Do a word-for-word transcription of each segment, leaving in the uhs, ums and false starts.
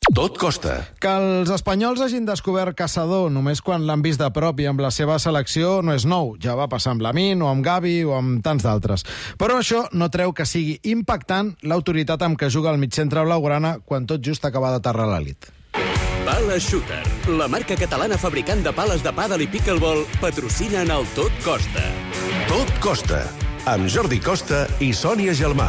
Tot costa. Que els espanyols hagin descobert Caçador només quan l'han vist de prop i amb la seva selecció no és nou. Ja va passar amb Lamine o amb Gavi o amb tants d'altres. Però això no treu que sigui impactant l'autoritat amb què juga el mitjantre blaugrana quan tot just acaba d'aterrar a l'elit. Pala Shooter, la marca catalana fabricant de pales de pàdel i pickleball, patrocina en el Tot Costa. Tot costa. Amb Jordi Costa i Sònia Gelmà.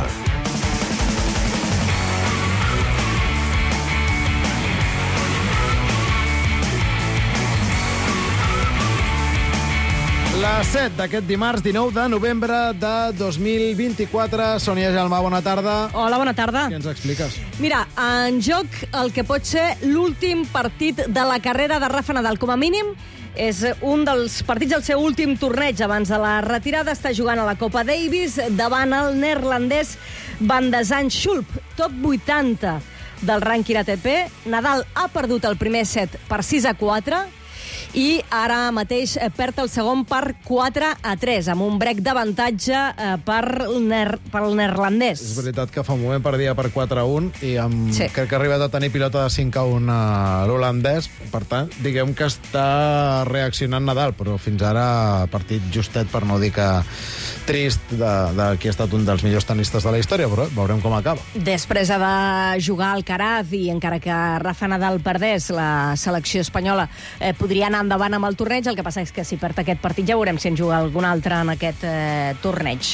Les set d'aquest dimarts, dinou de novembre de dos mil vint-i-quatre. Sònia Gelmà, bona tarda. Hola, bona tarda. Què ens expliques? Mira, en joc el que pot ser l'últim partit de la carrera de Rafa Nadal. Com a mínim, és un dels partits del seu últim torneig. Abans de la retirada està jugant a la Copa Davis davant el neerlandès Van de Zandschulp, top vuitanta del rànquing A T P. Nadal ha perdut el primer set per sis a quatre i ara mateix perd el segon per quatre a tres, amb un break d'avantatge per ner pel neerlandès. És veritat que fa un moment perdia per quatre a un i amb... sí. crec que ha arribat a tenir pilota de cinc a un a l'holandès. Per tant, diguem que està reaccionant Nadal, però fins ara partit justet, per no dir que trist, de, de qui ha estat un dels millors tenistes de la història, però veurem com acaba. Després ha de jugar Alcaraz i encara que Rafa Nadal perdés, la selecció espanyola eh, podria anar endavant amb el torneig. El que passa és que si perd aquest partit ja veurem si en juga algun altre en aquest eh, torneig.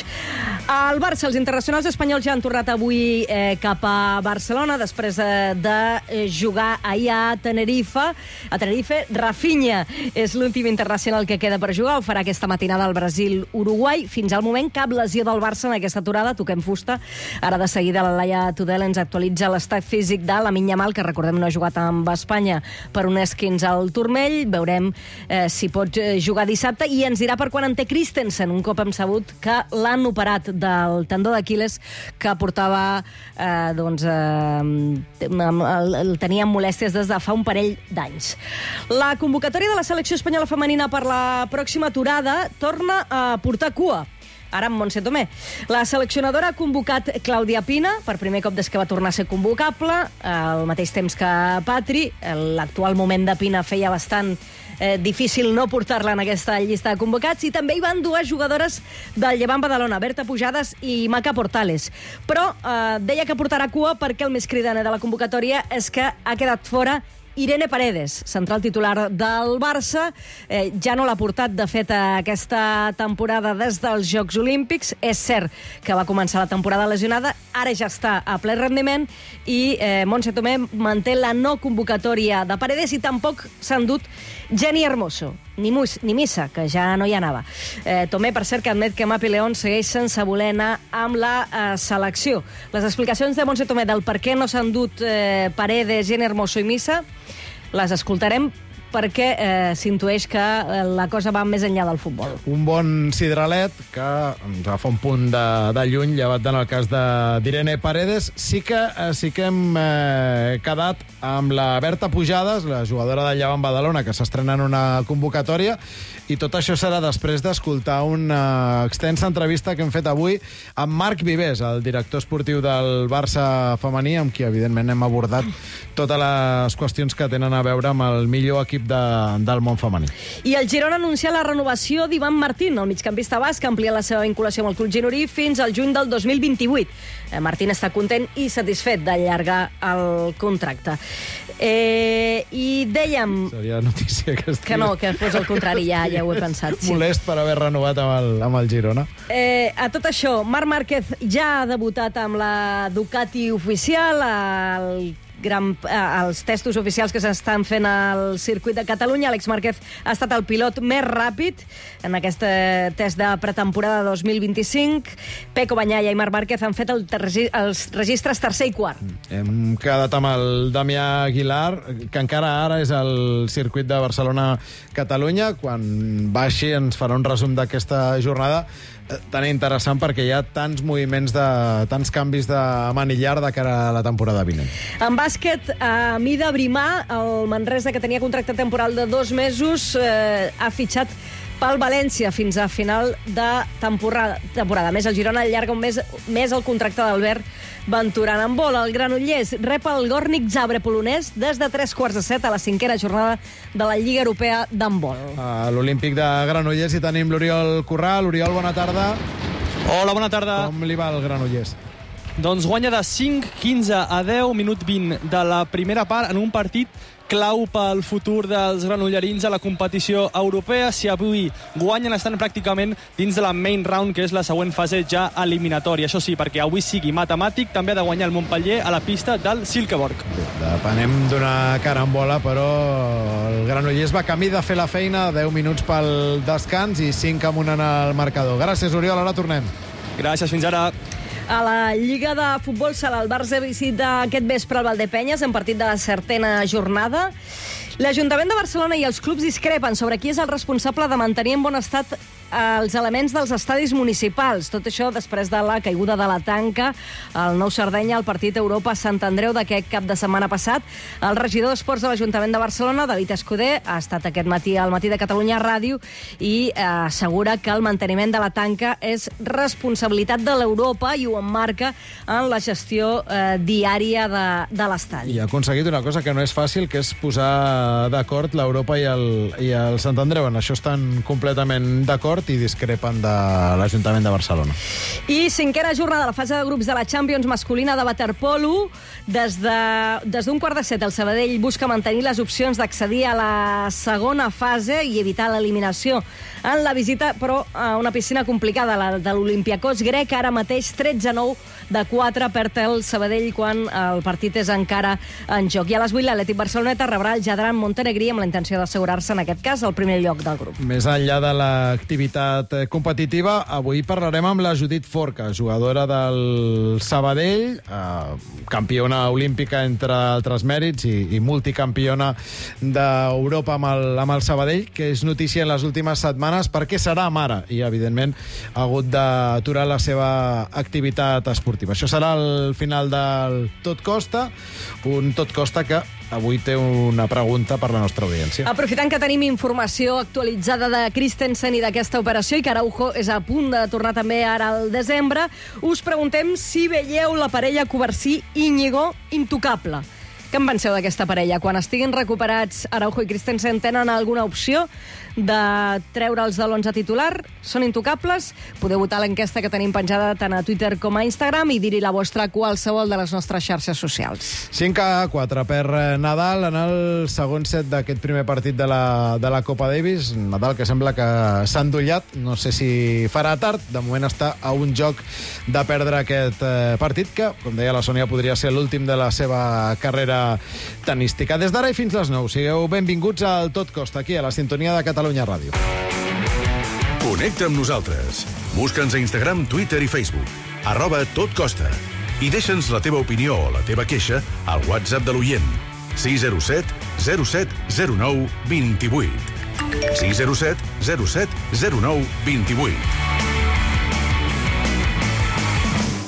Al Barça, els internacionals espanyols ja han tornat avui eh, cap a Barcelona després eh, de jugar ahir a Tenerife. A Tenerife, Rafinha és l'últim internacional que queda per jugar. Ho farà aquesta matinada al Brasil-Uruguai. Fins al moment, cap lesió del Barça en aquesta aturada. Toquem fusta. Ara de seguida la Laia Tudel ens actualitza l'estat físic de Lamine Yamal, que recordem no ha jugat amb Espanya per un esquinç al turmell. Veurem eh, si pot jugar dissabte i ens dirà per quan en té Christensen, un cop hem sabut que l'han operat del tendó d'Aquil·les que portava eh, doncs eh, el, el tenia amb molèsties des de fa un parell d'anys. La convocatòria de la selecció espanyola femenina per la pròxima aturada torna a portar cua. Ara amb Montse Tomé. La seleccionadora ha convocat Clàudia Pina, per primer cop des que va tornar a ser convocable, al mateix temps que Patri. L'actual moment de Pina feia bastant eh, difícil no portar-la en aquesta llista de convocats, i també hi van dues jugadores del Llevant Badalona, Berta Pujades i Maca Portales. Però eh, deia que portarà cua perquè el més cridaner de la convocatòria és que ha quedat fora Irene Paredes, central titular del Barça. Eh, ja no l'ha portat, de fet, aquesta temporada des dels Jocs Olímpics. És cert que va començar la temporada lesionada, ara ja està a ple rendiment, i eh, Montse Tomé manté la no convocatòria de Paredes, i tampoc s'ha endut Jenny Hermoso, ni, mus, ni Missa, que ja no hi anava. Eh, Tomé, per cert, que admet que Mapi León segueix sense voler anar amb la eh, selecció. Les explicacions de Montse Tomé del per què no s'han endut eh, Paredes, Jenny Hermoso i Missa les escoltarem, perquè eh, s'intueix que eh, la cosa va més enllà del futbol. Un bon sidralet que ens agafa un punt de, de lluny, llevat en el cas d'Irene Paredes. Sí que, eh, sí que hem eh, quedat amb la Berta Pujades, la jugadora del Llevant Badalona, que s'estrena en una convocatòria, i tot això serà després d'escoltar una extensa entrevista que hem fet avui amb Marc Vivers, el director esportiu del Barça femení, amb qui, evidentment, hem abordat totes les qüestions que tenen a veure amb el millor equip de, del món femení. I el Girona anuncia la renovació d'Ivan Martín, el migcampista basc, que amplia la seva vinculació amb el club gironí fins al juny del dos mil vint-i-vuit. Eh, Martín està content i satisfet d'allargar el contracte. Eh, I dèiem... Seria notícia que estigui... Que no, que fos el contrari, ja, ja ho he pensat. Sí. Molest per haver renovat amb el, amb el Girona. Eh, a tot això, Marc Márquez ja ha debutat amb la Ducati oficial, el gran, eh, els testos oficials que s'estan fent al circuit de Catalunya. Àlex Márquez ha estat el pilot més ràpid en aquest eh, test de pretemporada dos mil vint-i-cinc. Peco Bagnaia i Marc Márquez han fet el tergi, els registres tercer i quart. Hem quedat amb el Damià Aguilar, que encara ara és al circuit de Barcelona-Catalunya. Quan baixi ens farà un resum d'aquesta jornada tan interessant, perquè hi ha tants moviments, de tants canvis de manillar de cara a la temporada vinent. En bàsquet, a Mida Brimà, el Manresa, que tenia contracte temporal de dos mesos, eh, ha fitxat pel València fins a final de temporada. temporada. A més, el Girona allarga un mes més el contracte d'Albert Venturant. En vol, el Granollers rep el Górnik Zabrze polonès des de tres quarts de set a la cinquena jornada de la Lliga Europea d'handbol. A l'Olímpic de Granollers hi tenim l'Oriol Corral. Oriol, bona tarda. Hola, bona tarda. Com li va el Granollers? Doncs guanya de cinc quinze a deu, minut vint de la primera part, en un partit clau pel futur dels granollerins a la competició europea. Si avui guanyen, estan pràcticament dins de la main round, que és la següent fase ja eliminatòria. Això sí, perquè avui sigui matemàtic, també ha de guanyar el Montpellier a la pista del Silkeborg. Depenem d'una carambola, però el Granollers va camí de fer la feina, deu minuts pel descans i cinc amunt en el marcador. Gràcies, Oriol, ara tornem. Gràcies, fins ara. A la Lliga de Futbol Sala, el Barça visita aquest vespre el Valdepenyes en partit de la setena jornada. L'Ajuntament de Barcelona i els clubs discrepen sobre qui és el responsable de mantenir en bon estat els elements dels estadis municipals. Tot això després de la caiguda de la tanca al Nou Sardenya al partit Europa-Sant Andreu d'aquest cap de setmana passat. El regidor d'Esports de l'Ajuntament de Barcelona, David Escudé, ha estat aquest matí al Matí de Catalunya Ràdio i eh, assegura que el manteniment de la tanca és responsabilitat de l'Europa i ho emmarca en la gestió eh, diària de, de l'estadi. I ha aconseguit una cosa que no és fàcil, que és posar d'acord l'Europa i el, i el Sant Andreu. En això estan completament d'acord i discrepen de l'Ajuntament de Barcelona. I cinquena jornada de la fase de grups de la Champions masculina de waterpolo. Des d'un de, des quart de set, el Sabadell busca mantenir les opcions d'accedir a la segona fase i evitar l'eliminació en la visita, però a una piscina complicada, la de l'Olympiacos grec, ara mateix tretze a nou de quatre perd el Sabadell quan el partit és encara en joc. I a les vuit l'Atlètic Barceloneta rebrà el Jadran Montenegrí amb la intenció d'assegurar-se, en aquest cas, el primer lloc del grup. Més enllà de l'activitat competitiva, avui parlarem amb la Judit Forca, jugadora del Sabadell, eh, campiona olímpica entre altres mèrits i, i multicampiona d'Europa amb el, amb el Sabadell, que és notícia en les últimes setmanes perquè serà mare i, evidentment, ha hagut d'aturar la seva activitat esportiva. Això serà el final del Tot Costa, un Tot Costa que avui té una pregunta per la nostra audiència. Aprofitant que tenim informació actualitzada de Christensen i d'aquesta operació i que Araujo és a punt de tornar també ara al desembre, us preguntem si veieu la parella Covarsí-Íñigo intocable. Què en penseu d'aquesta parella? Quan estiguin recuperats, Araujo i Christensen tenen alguna opció de treure'ls de l'onze titular? Són intocables? Podeu votar l'enquesta que tenim penjada tant a Twitter com a Instagram i dir-hi la vostra a qualsevol de les nostres xarxes socials. cinc a quatre per Nadal en el segon set d'aquest primer partit de la, de la Copa Davis. Nadal que sembla que s'ha endollat. No sé si farà tard. De moment està a un joc de perdre aquest eh, partit que, com deia la Sònia, podria ser l'últim de la seva carrera tenística. Des d'ara i fins les nou, sigueu benvinguts al Tot Costa, aquí a la sintonia de Catalunya Ràdio. Connecta amb nosaltres. Busca'ns a Instagram, Twitter i Facebook. Arroba Tot Costa. I deixa'ns la teva opinió o la teva queixa al WhatsApp de l'oient. sis zero set zero set zero nou dos vuit. sis zero set zero set zero nou dos vuit.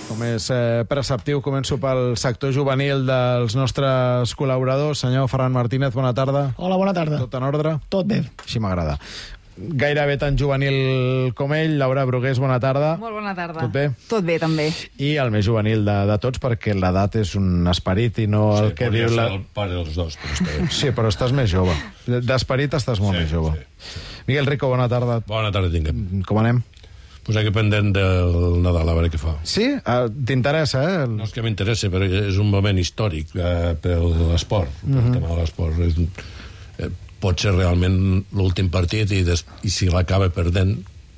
Com és eh, preceptiu, començo pel sector juvenil dels nostres col·laboradors. Senyor Ferran Martínez, bona tarda. Hola, bona tarda. Tot en ordre? Tot bé. Així m'agrada. Gairebé tan juvenil com ell, Laura Brugués, bona tarda. Molt bona tarda. Tot bé? Tot bé, també. I el més juvenil de, de tots, perquè l'edat és un esperit i no el Sí, que diu la... el pare dels dos, però està bé. Sí, però estàs més jove. D'esperit estàs molt Sí, més jove. sí, sí. Miguel Rico, bona tarda. Bona tarda, tinguem. Com anem? Pues aquí pendent del Nadal, a veure què fa. Sí? Ah, t'interessa, eh? El... No és que m'interessi, però és un moment històric eh, per l'esport, per Mhm. el tema de l'esport. És un- Eh, pot ser realment l'últim partit i, des, i si l'acaba perdent,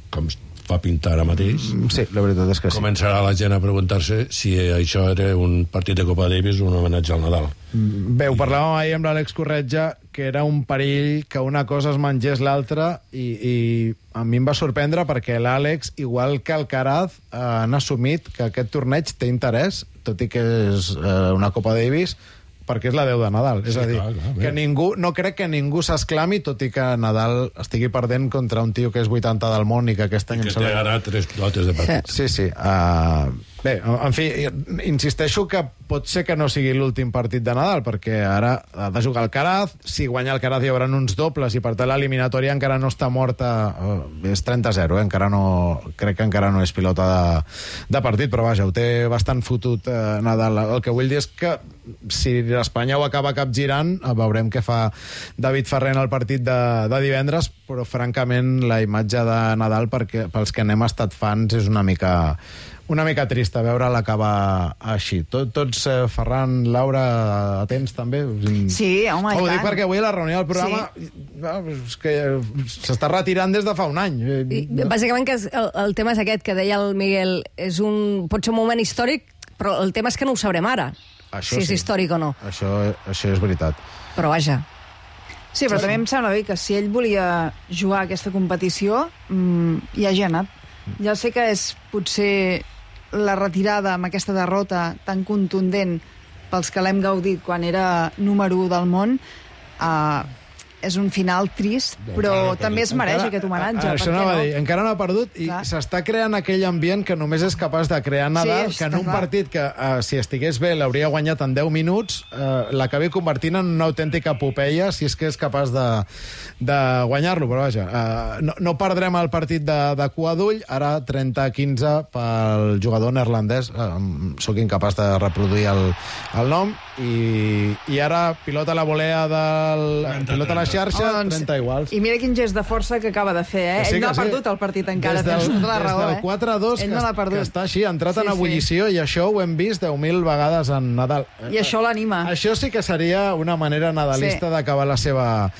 com es fa pintar ara mateix, Sí, la veritat és que sí. començarà la gent a preguntar-se si això era un partit de Copa Davis o un homenatge al Nadal. Bé, ho parlàvem ahir amb l'Àlex Corretja, que era un perill que una cosa es mengés l'altra, i, i a mi em va sorprendre perquè l'Àlex, igual que el Caraz, eh, han assumit que aquest torneig té interès, tot i que és eh, una Copa Davis, perquè és la deu de Nadal. És Sí, a dir, clar, clar, bé. que ningú, no crec que ningú s'esclami, tot i que Nadal estigui perdent contra un tio que és vuitanta del món i que aquest any... Que em té sembla- ara tres pilotes de partit. Sí, sí. Uh, Bé, en fi, insisteixo que pot ser que no sigui l'últim partit de Nadal, perquè ara ha de jugar Alcaraz, si guanya Alcaraz hi haurà uns dobles i per tant l'eliminatòria encara no està morta, eh, és trenta a zero, eh? encara no, crec que encara no és pilota de, de partit, però vaja, ho té bastant fotut eh, Nadal. El que vull dir és que si l'Espanya ho acaba capgirant, veurem què fa David Ferrer en el partit de, de divendres, però francament la imatge de Nadal, perquè, pels que n'hem estat fans, és una mica... una mica trista veure l'acabar així. Tot, tots, eh, Ferran, Laura, atents també? Sí, home, i Ho tant. dic perquè avui a la reunió del programa Sí. és que s'està retirant des de fa un any. I, bàsicament que és, el, el tema és aquest que deia el Miguel, és un, pot ser un moment històric, però el tema és que no ho sabrem ara, Això si és sí. històric o no. Això, això és veritat. Però vaja, Sí, però també em sembla bé que si ell volia jugar a aquesta competició, mmm, hi hagi anat. Ja sé que és potser la retirada amb aquesta derrota tan contundent pels que l'hem gaudit quan era número u del món, eh, és un final trist, però també es mereix Encara- aquest homenatge. a- a- Això per què anava a no? dir, encara no ha perdut i Clar. s'està creant aquell ambient que només és capaç de crear Nadal, Sí, que en està un clar. partit que, uh, si estigués bé, l'hauria guanyat en deu minuts, uh, l'acabi convertint en una autèntica epopeia, si és que és capaç de, de guanyar-lo, però vaja, uh, no, no perdrem el partit de, de cua d'ull, ara trenta a quinze pel jugador neerlandès, uh, sóc incapaç de reproduir el, el nom, i, i ara pilota la volea del... pilota la xarxa, Home, doncs, trenta iguals. I mira quin gest de força que acaba de fer, eh? Que sí, Ell no que ha sí. perdut el partit encara, Des del, tens tota la raó, des del eh? quatre a dos, Ell que, no l'ha que perdut. està així, ha entrat Sí, en sí. ebullició, i això ho hem vist deu mil vegades en Nadal. I això l'anima. Això sí que seria una manera nadalista Sí. d'acabar la seva,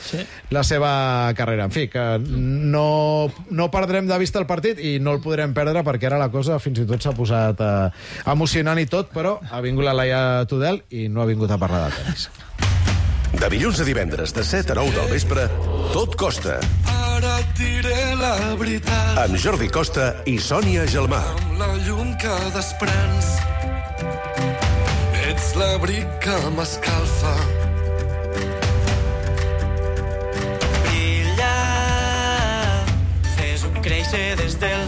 la seva carrera. En fi, que no, no perdrem de vista el partit i no el podrem perdre perquè ara la cosa fins i tot s'ha posat eh, emocionant i tot, però ha vingut la Laia Tudel i no ha vingut a parlar de tenis. De dilluns a divendres, de set a nou del vespre, Tot Costa. Ara et diré la veritat. Amb Jordi Costa i Sònia Gelmà. Amb la llum que desprens, ets l'abric que m'escalfa. Brilla, fes-ho créixer des del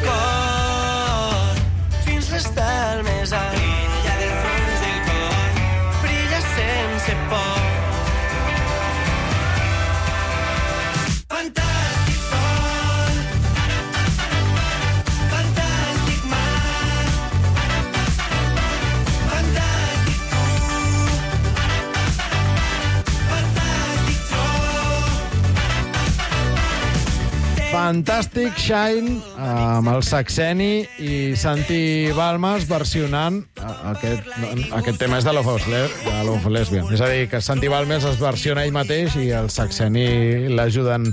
cor fins l'estar més alt. Brilla del fons del cor, brilla sense por. Fantàstic sol, fantàstic mar, fantàstic tu, fantàstic jo. Fantàstic Shine amb el Saxeni i Santi Balmes versionant aquest, aquest tema és de Love of Les- de Love of Lesbian. És a dir, que Santi Balmes es versiona ell mateix i el Saxeni l'ajuden.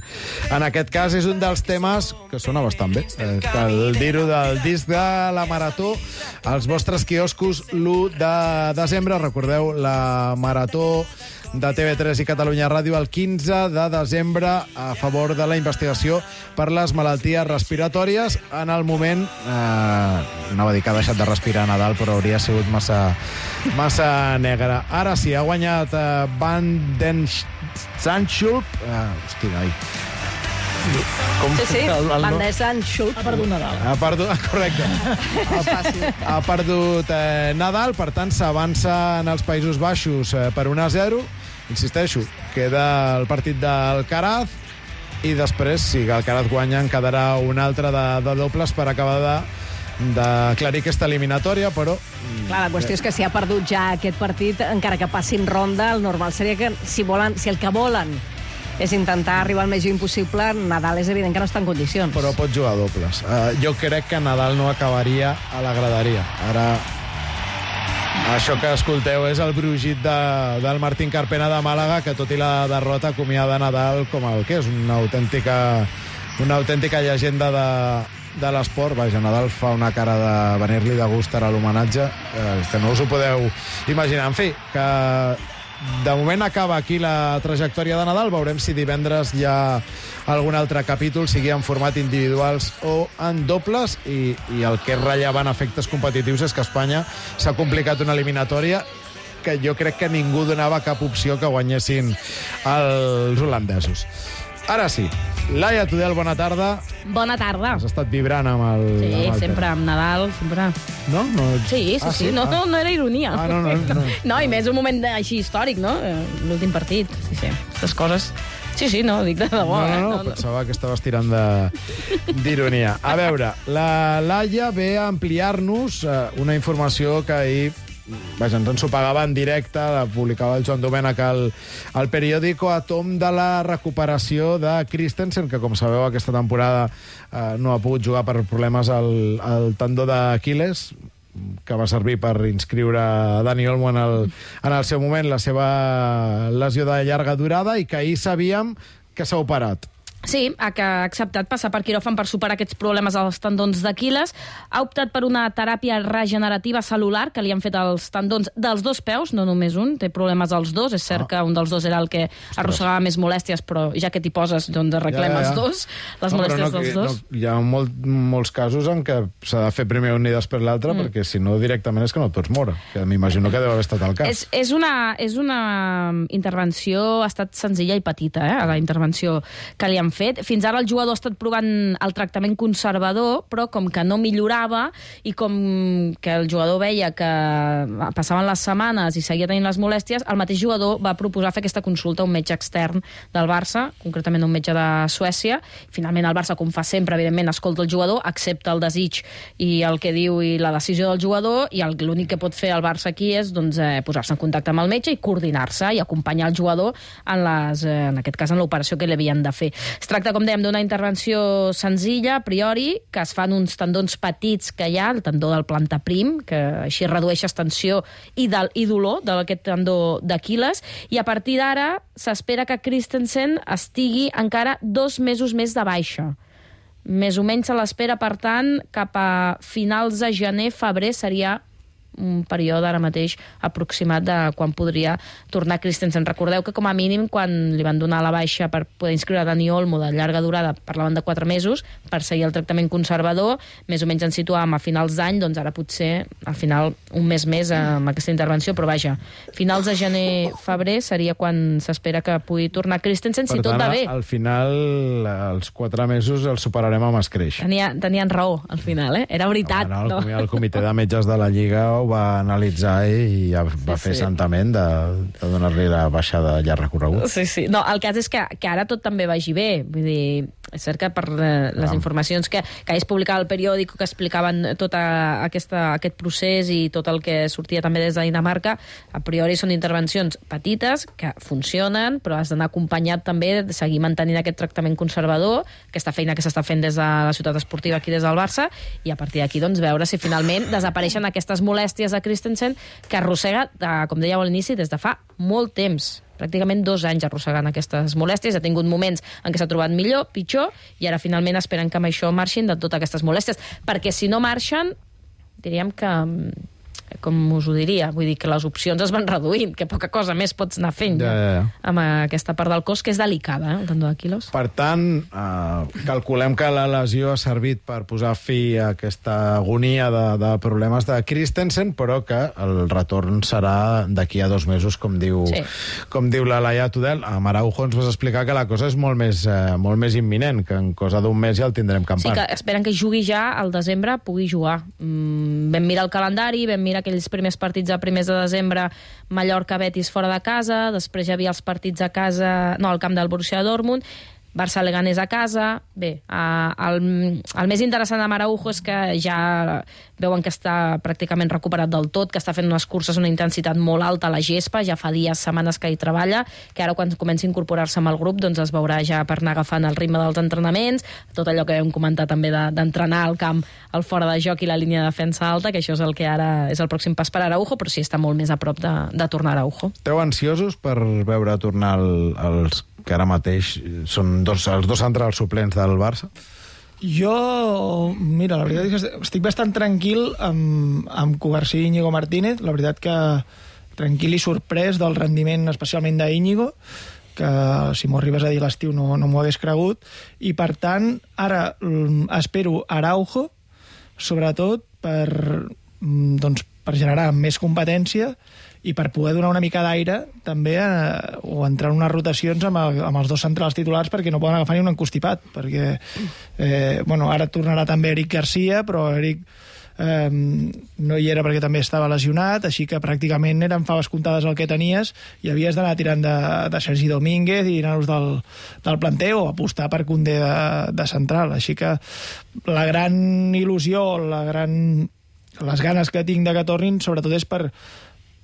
En aquest cas és un dels temes que sona bastant bé. Eh, Cal dir-ho del disc de la Marató als vostres quioscos l'u de desembre. Recordeu la Marató de T V tres i Catalunya Ràdio el quinze de desembre a favor de la investigació per les malalties respiratòries. En el moment, eh, anava a dir que ha deixat de respirar a Nadal, però hauria sigut massa, massa negre. Ara sí, ha guanyat eh, Van den Zandschulp. Eh, hosti, noi. Com, sí, sí, el- el Van nom- der Zandschulp. Ha perdut Nadal. ha perdut, correcte. Ha, ha perdut eh, Nadal, per tant s'avança en els Països Baixos eh, per un a zero. Insisteixo, queda el partit d'Alcaraz i després, si Alcaraz guanya, en quedarà un altre de, de dobles per acabar de d'aclarir aquesta eliminatòria, però... Clar, la qüestió és que si ha perdut ja aquest partit, encara que passin ronda, el normal seria que si, volen, si el que volen és intentar arribar al més lluny possible, Nadal és evident que no està en condicions. Però pot jugar dobles. Uh, jo crec que Nadal no acabaria a la graderia. Ara, això que escolteu és el brugit de, del Martín Carpena de Màlaga, que tot i la derrota acomiada Nadal com el que és, una autèntica, una autèntica llegenda de, de l'esport. Vaja, Nadal fa una cara de venir-li de gust ara a l'homenatge, eh, que no us ho podeu imaginar. En fi, que de moment acaba aquí la trajectòria de Nadal. Veurem si divendres hi ha algun altre capítol, sigui en format individuals o en dobles, i, i el que és rellevant a efectes competitius és que Espanya s'ha complicat una eliminatòria que jo crec que ningú donava cap opció que guanyessin els holandesos. Ara sí, Laia Tudel, bona tarda. Bona tarda. Has estat vibrant amb el... Sí, amb el sempre amb Nadal, sempre... No? no... Sí, sí, ah, sí, sí. No, ah. no, no era ironia. Ah, no, no, no. No, i més un moment així històric, no? L'últim partit, sí, sí, aquestes coses... Sí, sí, no, dic de debò. No, no, no, eh? no, pensava que estaves tirant de- d'ironia. A veure, la Laia ve a ampliar-nos eh, una informació que ahir vaja, ens ensopegava en directe, la publicava el Joan Domènech al, al periòdico a tom de la recuperació de Christensen, que, com sabeu, aquesta temporada eh, no ha pogut jugar per problemes al, al tendó d'Aquil·les, que va servir per inscriure Dani Olmo en el, en el seu moment la seva lesió de llarga durada i que ahir sabíem que s'ha operat. Sí, ha acceptat passar per quiròfan per superar aquests problemes als tendons d'Aquil·les. Ha optat per una teràpia regenerativa cel·lular que li han fet als tendons dels dos peus, no només un, té problemes als dos. És cert ah. que un dels dos era el que arrossegava més molèsties, però ja que t'hi poses, doncs arreglem ja, ja, ja. els dos, les no, molèsties no, dels dos. No, hi ha molt, molts casos en què s'ha de fer primer un i després l'altre, mm. perquè si no directament és que no et pots moure, que m'imagino que deu haver estat el cas. És, és, una, és una intervenció, ha estat senzilla i petita, eh, la intervenció que li han fet. Fins ara el jugador ha estat provant el tractament conservador, però com que no millorava i com que el jugador veia que passaven les setmanes i seguia tenint les molèsties, el mateix jugador va proposar fer aquesta consulta a un metge extern del Barça, concretament un metge de Suècia. Finalment el Barça, com fa sempre, evidentment, escolta el jugador, accepta el desig i el que diu i la decisió del jugador, i l'únic que pot fer el Barça aquí és doncs, eh, posar-se en contacte amb el metge i coordinar-se i acompanyar el jugador en, les, eh, en aquest cas en l'operació que li havien de fer. Es tracta, com dèiem, d'una intervenció senzilla, a priori, que es fan uns tendons petits que hi ha, el tendó del plantaprim, que així redueixes tensió i, del, i dolor d'aquest tendó d'Aquil·les, i a partir d'ara s'espera que Christensen estigui encara dos mesos més de baixa. Més o menys se l'espera, per tant, cap a finals de gener, febrer seria un període ara mateix aproximat de quan podria tornar Christensen. Recordeu que com a mínim quan li van donar la baixa per poder inscriure Dani Olmo de llarga durada parlaven de quatre mesos per seguir el tractament conservador, més o menys ens situàvem a finals d'any, doncs ara potser al final un mes més amb aquesta intervenció, però vaja, finals de gener-febrer seria quan s'espera que pugui tornar Christensen, si tot va bé. Al final els quatre mesos els superarem amb escreix. Tenia, tenien raó al final, eh? Era veritat. No, no, el, no? el comitè de metges de la Lliga ho va analitzar i ja va sí, fer sí. santament de, de donar-li la baixa de llarg recorregut. Sí, sí. No, el cas és que, que ara tot també vagi bé. Vull dir, és cert que per eh, les ah. informacions que, que es publicava al periòdic que explicaven tot aquesta, aquest procés i tot el que sortia també des de Dinamarca, a priori són intervencions petites que funcionen, però has d'anar acompanyat també de seguir mantenint aquest tractament conservador, aquesta feina que s'està fent des de la ciutat esportiva aquí des del Barça, i a partir d'aquí doncs, veure si finalment desapareixen aquestes molèsties de Christensen que arrossega, de, com dèieu a l'inici, des de fa molt temps. Pràcticament dos anys arrossegant aquestes molèsties. Ha tingut moments en què s'ha trobat millor, pitjor, i ara finalment esperen que amb això marxin de totes aquestes molèsties. Perquè si no marxen, diríem que... com us ho diria, vull dir que les opcions es van reduint, que poca cosa més pots anar fent ja, ja, ja. amb aquesta part del cos, que és delicada, eh, el tendó d'Aquil·les. Per tant, eh, calculem que la lesió ha servit per posar fi a aquesta agonia de, de problemes de Christensen, però que el retorn serà d'aquí a dos mesos, com diu, sí. com diu la Laia Tudel. A Araujo ens vas explicar que la cosa és molt més, eh, molt més imminent, que en cosa d'un mes ja el tindrem campant. Sí, que esperen que jugui ja al desembre, pugui jugar. Mm, vam mirar el calendari, vam mirar aquells primers partits a primers de desembre, Mallorca-Betis fora de casa, després ja havia els partits a casa, no, al camp del Borussia Dortmund, Barça-Leganés a casa. Bé, el, el més interessant de Araujo és que ja veuen que està pràcticament recuperat del tot, que està fent unes curses una intensitat molt alta a la gespa, ja fa dies, setmanes que hi treballa, que ara quan comenci a incorporar-se amb el grup doncs es veurà ja per anar agafant el ritme dels entrenaments, tot allò que vam comentar també d'entrenar al camp, al fora de joc i la línia de defensa alta, que això és el que ara és el pròxim pas per Araujo, però sí està molt més a prop de, de tornar a Araujo. Esteu ansiosos per veure tornar el, els que ara mateix són dos, els dos centrals suplents del Barça? Jo, mira, la veritat és que estic bastant tranquil amb, amb Covarsí i Íñigo Martínez. La veritat que tranquil i sorprès del rendiment especialment d'Íñigo, que si m'ho arribes a dir l'estiu no, no m'ho hagués cregut, i per tant ara espero Araujo, sobretot per, doncs, per generar més competència i per poder donar una mica d'aire també eh, o entrar en unes rotacions amb, el, amb els dos centrals titulars perquè no poden agafar ni un encostipat perquè eh, bueno, ara tornarà també Eric Garcia, però Eric eh, no hi era perquè també estava lesionat, així que pràcticament eren faves comptades el que tenies i havies d'anar tirant de, de Sergi Domínguez i anar-nos del, del planter o apostar per Koundé de, de central, així que la gran il·lusió, la gran, les ganes que tinc de que tornin sobretot és per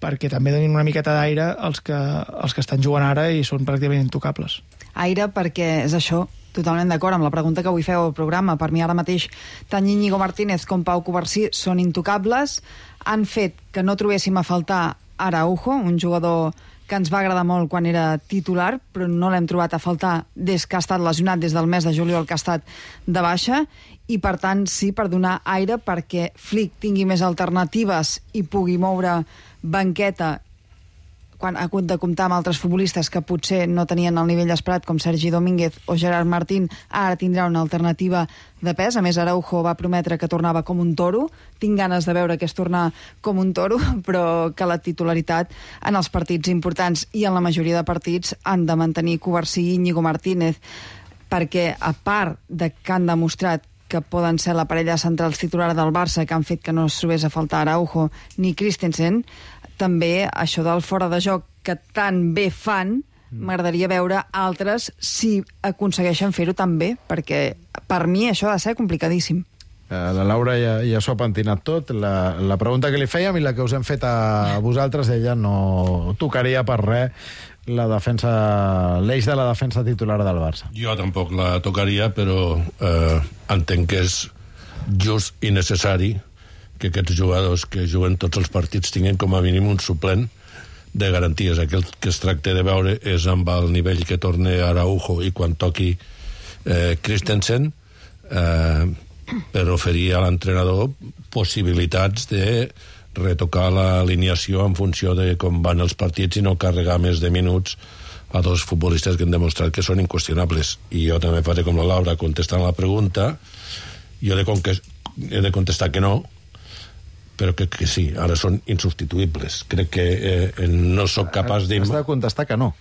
perquè també donin una miqueta d'aire als que, als que estan jugant ara i són pràcticament intocables. Aire perquè és això, totalment d'acord amb la pregunta que avui feu al programa. Per mi ara mateix tant Íñigo Martínez com Pau Covarsí són intocables, han fet que no trobéssim a faltar Araujo, un jugador que ens va agradar molt quan era titular, però no l'hem trobat a faltar des que ha estat lesionat, des del mes de juliol que ha estat de baixa, i per tant sí, per donar aire perquè Flick tingui més alternatives i pugui moure banqueta quan ha hagut de comptar amb altres futbolistes que potser no tenien el nivell esperat, com Sergi Domínguez o Gerard Martín, ara tindrà una alternativa de pes. A més, Araujo va prometre que tornava com un toro. Tinc ganes de veure que és tornar com un toro, però que la titularitat en els partits importants i en la majoria de partits han de mantenir Covarsí i Íñigo Martínez, perquè a part de que han demostrat que poden ser la parella central titular del Barça, que han fet que no es trobés a faltar Araujo ni Christensen, també això del fora de joc que tan bé fan, m'agradaria veure altres si aconsegueixen fer-ho tan bé, perquè per mi això ha de ser complicadíssim. La Laura ja, ja s'ho ha pentinat tot. La, la pregunta que li fèiem i la que us hem fet a vosaltres, ella no tocaria per res la defensa, l'eix de la defensa titular del Barça. Jo tampoc la tocaria, però eh, entenc que és just i necessari que aquests jugadors que juguen tots els partits tinguin com a mínim un suplent de garanties. Aquell que es tracta de veure és amb el nivell que torna Araujo i quan toqui eh, Christensen eh, per oferir a l'entrenador possibilitats de retocar l'alineació en funció de com van els partits i no carregar més de minuts a dos futbolistes que han demostrat que són inqüestionables. I jo també faré com la Laura contestant la pregunta. Jo he de, he de contestar que no, però crec que sí, ara són insubstituïbles. Crec que eh, no sóc capaç de... Has de contestar que no.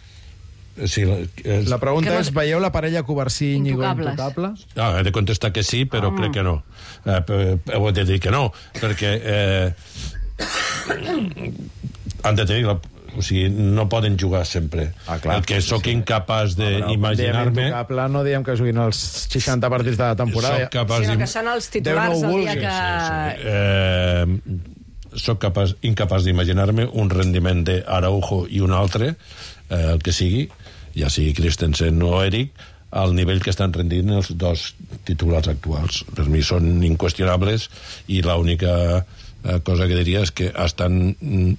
Sí, la, és... la pregunta és, veieu la parella Covarsí i Íñigo intocables? Ah, he de contestar que sí, però oh. crec que no. Eh, he de dir que no, perquè eh, han de tenir la... O sigui, no poden jugar sempre. Ah, clar, el que sóc sí. incapaç d'imaginar-me... Intocable no diem que juguin els seixanta partits de la temporada. Soc capaç sinó que són els titulars no el dia que... Sí, sí. Eh, soc capaç, incapaç d'imaginar-me un rendiment d'Araujo i un altre, eh, el que sigui, ja sigui Christensen o Eric, al nivell que estan rendint els dos titulars actuals. Per mi són inqüestionables i l'única cosa que diria és que estan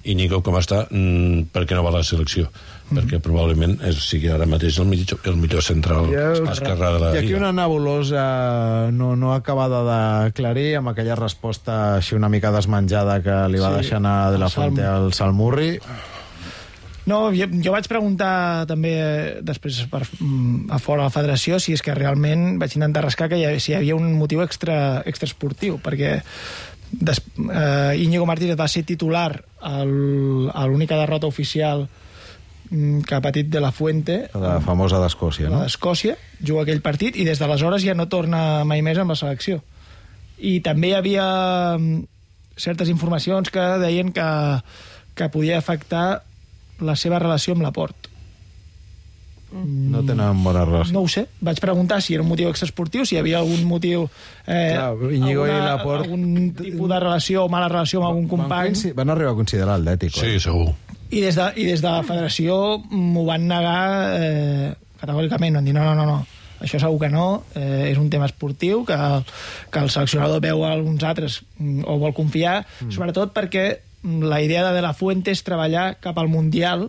Íñigo com està perquè no va a la selecció, mm-hmm. perquè probablement és, sigui ara mateix el millor, el millor central esquerrà de la Lliga. I aquí una nebulosa no, no acabada d'aclarir amb aquella resposta així una mica desmenjada que li va sí, deixar anar de la Fuente al Salmurri. No, jo, jo vaig preguntar també després per, a fora de la federació si és que realment vaig intentar rascar que hi havia, si hi havia un motiu extra, extra esportiu, perquè Des, eh, Íñigo Martínez va ser titular al, a l'única derrota oficial que ha patit de la Fuente, la famosa d'Escòcia, no? d'Escòcia, juga aquell partit i des d'aleshores ja no torna mai més amb la selecció. I també hi havia certes informacions que deien que, que podia afectar la seva relació amb Laporte. No tenen bona relació. No ho sé. Vaig preguntar si era un motiu extraesportiu, si hi havia algun motiu... Eh, Clar, Íñigo alguna, i Laporte... algun tipus de relació o mala relació amb algun company. Van, van arribar a considerar el d'ètic. Sí, segur. I des de, i des de la federació m'ho van negar eh, categòricament. Van dir, no, no, no, no. Això segur que no. Eh, és un tema esportiu que, que el seleccionador veu a alguns altres o vol confiar, mm. sobretot perquè la idea de De La Fuente és treballar cap al Mundial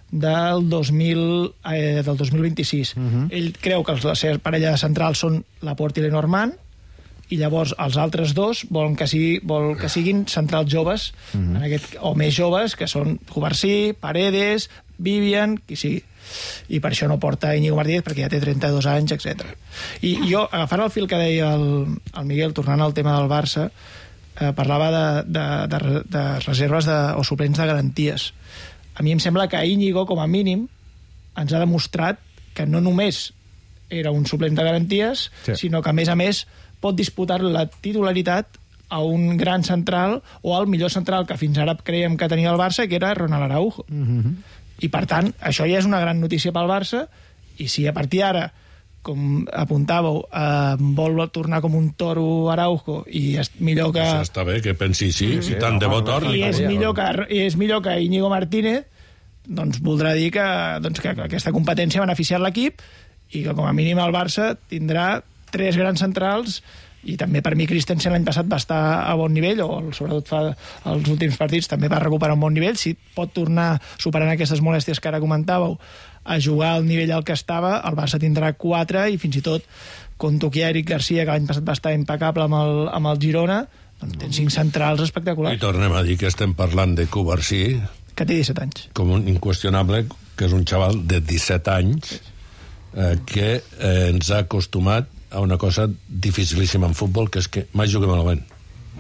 del dos mil, eh, del dos mil vint-i-sis. Uh-huh. Ell creu que la seva parella de centrals són Laporte i Lenormand, i llavors els altres dos volen que, sigui, vol que siguin centrals joves, uh-huh. en aquest, o més joves, que són Covarsí, Paredes, Vivian, qui sigui. I per això no porta Íñigo Martínez, perquè ja té trenta-dos anys, etcètera. I jo, agafant el fil que deia el, el Miguel, tornant al tema del Barça, eh, parlava de, de, de, de reserves de, o suplents de garanties. A mi em sembla que Íñigo, com a mínim, ens ha demostrat que no només era un suplent de garanties, sí. sinó que, a més a més, pot disputar la titularitat a un gran central o al millor central que fins ara creiem que tenia el Barça, que era Ronald Araujo. Mm-hmm. I, per tant, això ja és una gran notícia pel Barça, i si a partir d'ara, com apuntàveu, eh, vol tornar com un toro Araujo i és millor que... Això està bé, que pensi així, sí, si tant de bo torni. I és millor que, i és millor que Íñigo Martínez, doncs voldrà dir que, doncs, que aquesta competència ha beneficiat l'equip i que, com a mínim, el Barça tindrà tres grans centrals. I també per mi Christensen l'any passat va estar a bon nivell, o sobretot fa els últims partits també va recuperar un bon nivell. Si pot tornar, superant aquestes molèsties que ara comentàveu, a jugar al nivell al que estava, el Barça tindrà quatre, i fins i tot compto que Eric Garcia, que l'any passat va estar impecable amb el, amb el Girona, doncs té cinc centrals espectaculars. I tornem a dir que estem parlant de Cubarsí, que té disset anys. Com un inqüestionable, que és un xaval de disset anys, eh, que eh, ens ha acostumat a una cosa dificilíssima en futbol, que és que mai juguem malament.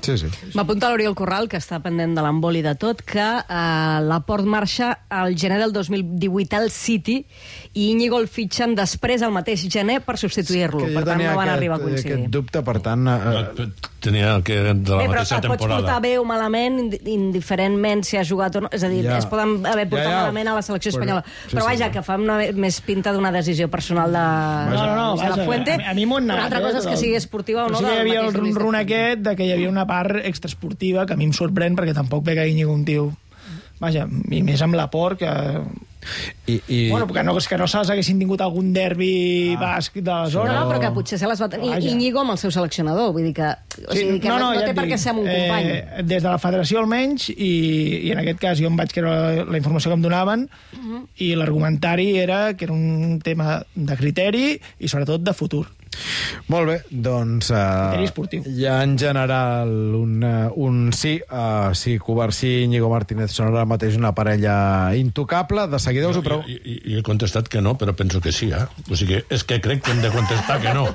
Sí, sí. M'apunta l'Oriol Corral, que està pendent de l'emboli de tot, que eh, Laport marxa al gener del dos mil divuit al City i Íñigo el fitxen després, el mateix gener, per substituir-lo. Sí, per tant, no van aquest, arribar a coincidir. aquest dubte, per tant... Eh, Tenia que de la Bé, mateixa però et pots temporada. portar bé o malament, indiferentment si has jugat o no. És a dir, Ja. es poden haver portat Ja, ja. malament a la selecció Però- espanyola. sí, Però sí, vaja, sí. que fa una, més pinta d'una decisió personal de, No, no, no, de la vaja, Fuente. a mi- a mi m'ho han Una negat, altra eh, cosa és que però- sigui esportiva o Però no. sí que hi del havia el mateix Luis de rum-rum Fuente. aquest de que hi havia una part extraesportiva que a mi em sorprèn, perquè tampoc ve que Íñigo un tio... Vaja, i més amb l'Aport, que... I, i... Bueno, que no, que no se'ls haguessin tingut algun derbi ah, basc de la No, zona. no, però que potser se les va tenir Vaja. Íñigo amb el seu seleccionador. Vull dir que, o sigui, que no, no, no ja té et per què dic, ser amb un company. Eh, des de la federació almenys, i, i en aquest cas jo em vaig creure la informació que em donaven, uh -huh. i l'argumentari era que era un tema de criteri i sobretot de futur. Molt bé, doncs... Criteri Uh, esportiu. ja en general un, uh, un sí. Uh, sí, Cubarsí i Íñigo Martínez són ara mateix una parella intocable. De seguida us ho Jo, pregunto... jo, jo, jo he contestat que no, però penso que sí, eh? O sigui, és que crec que hem de contestar que no.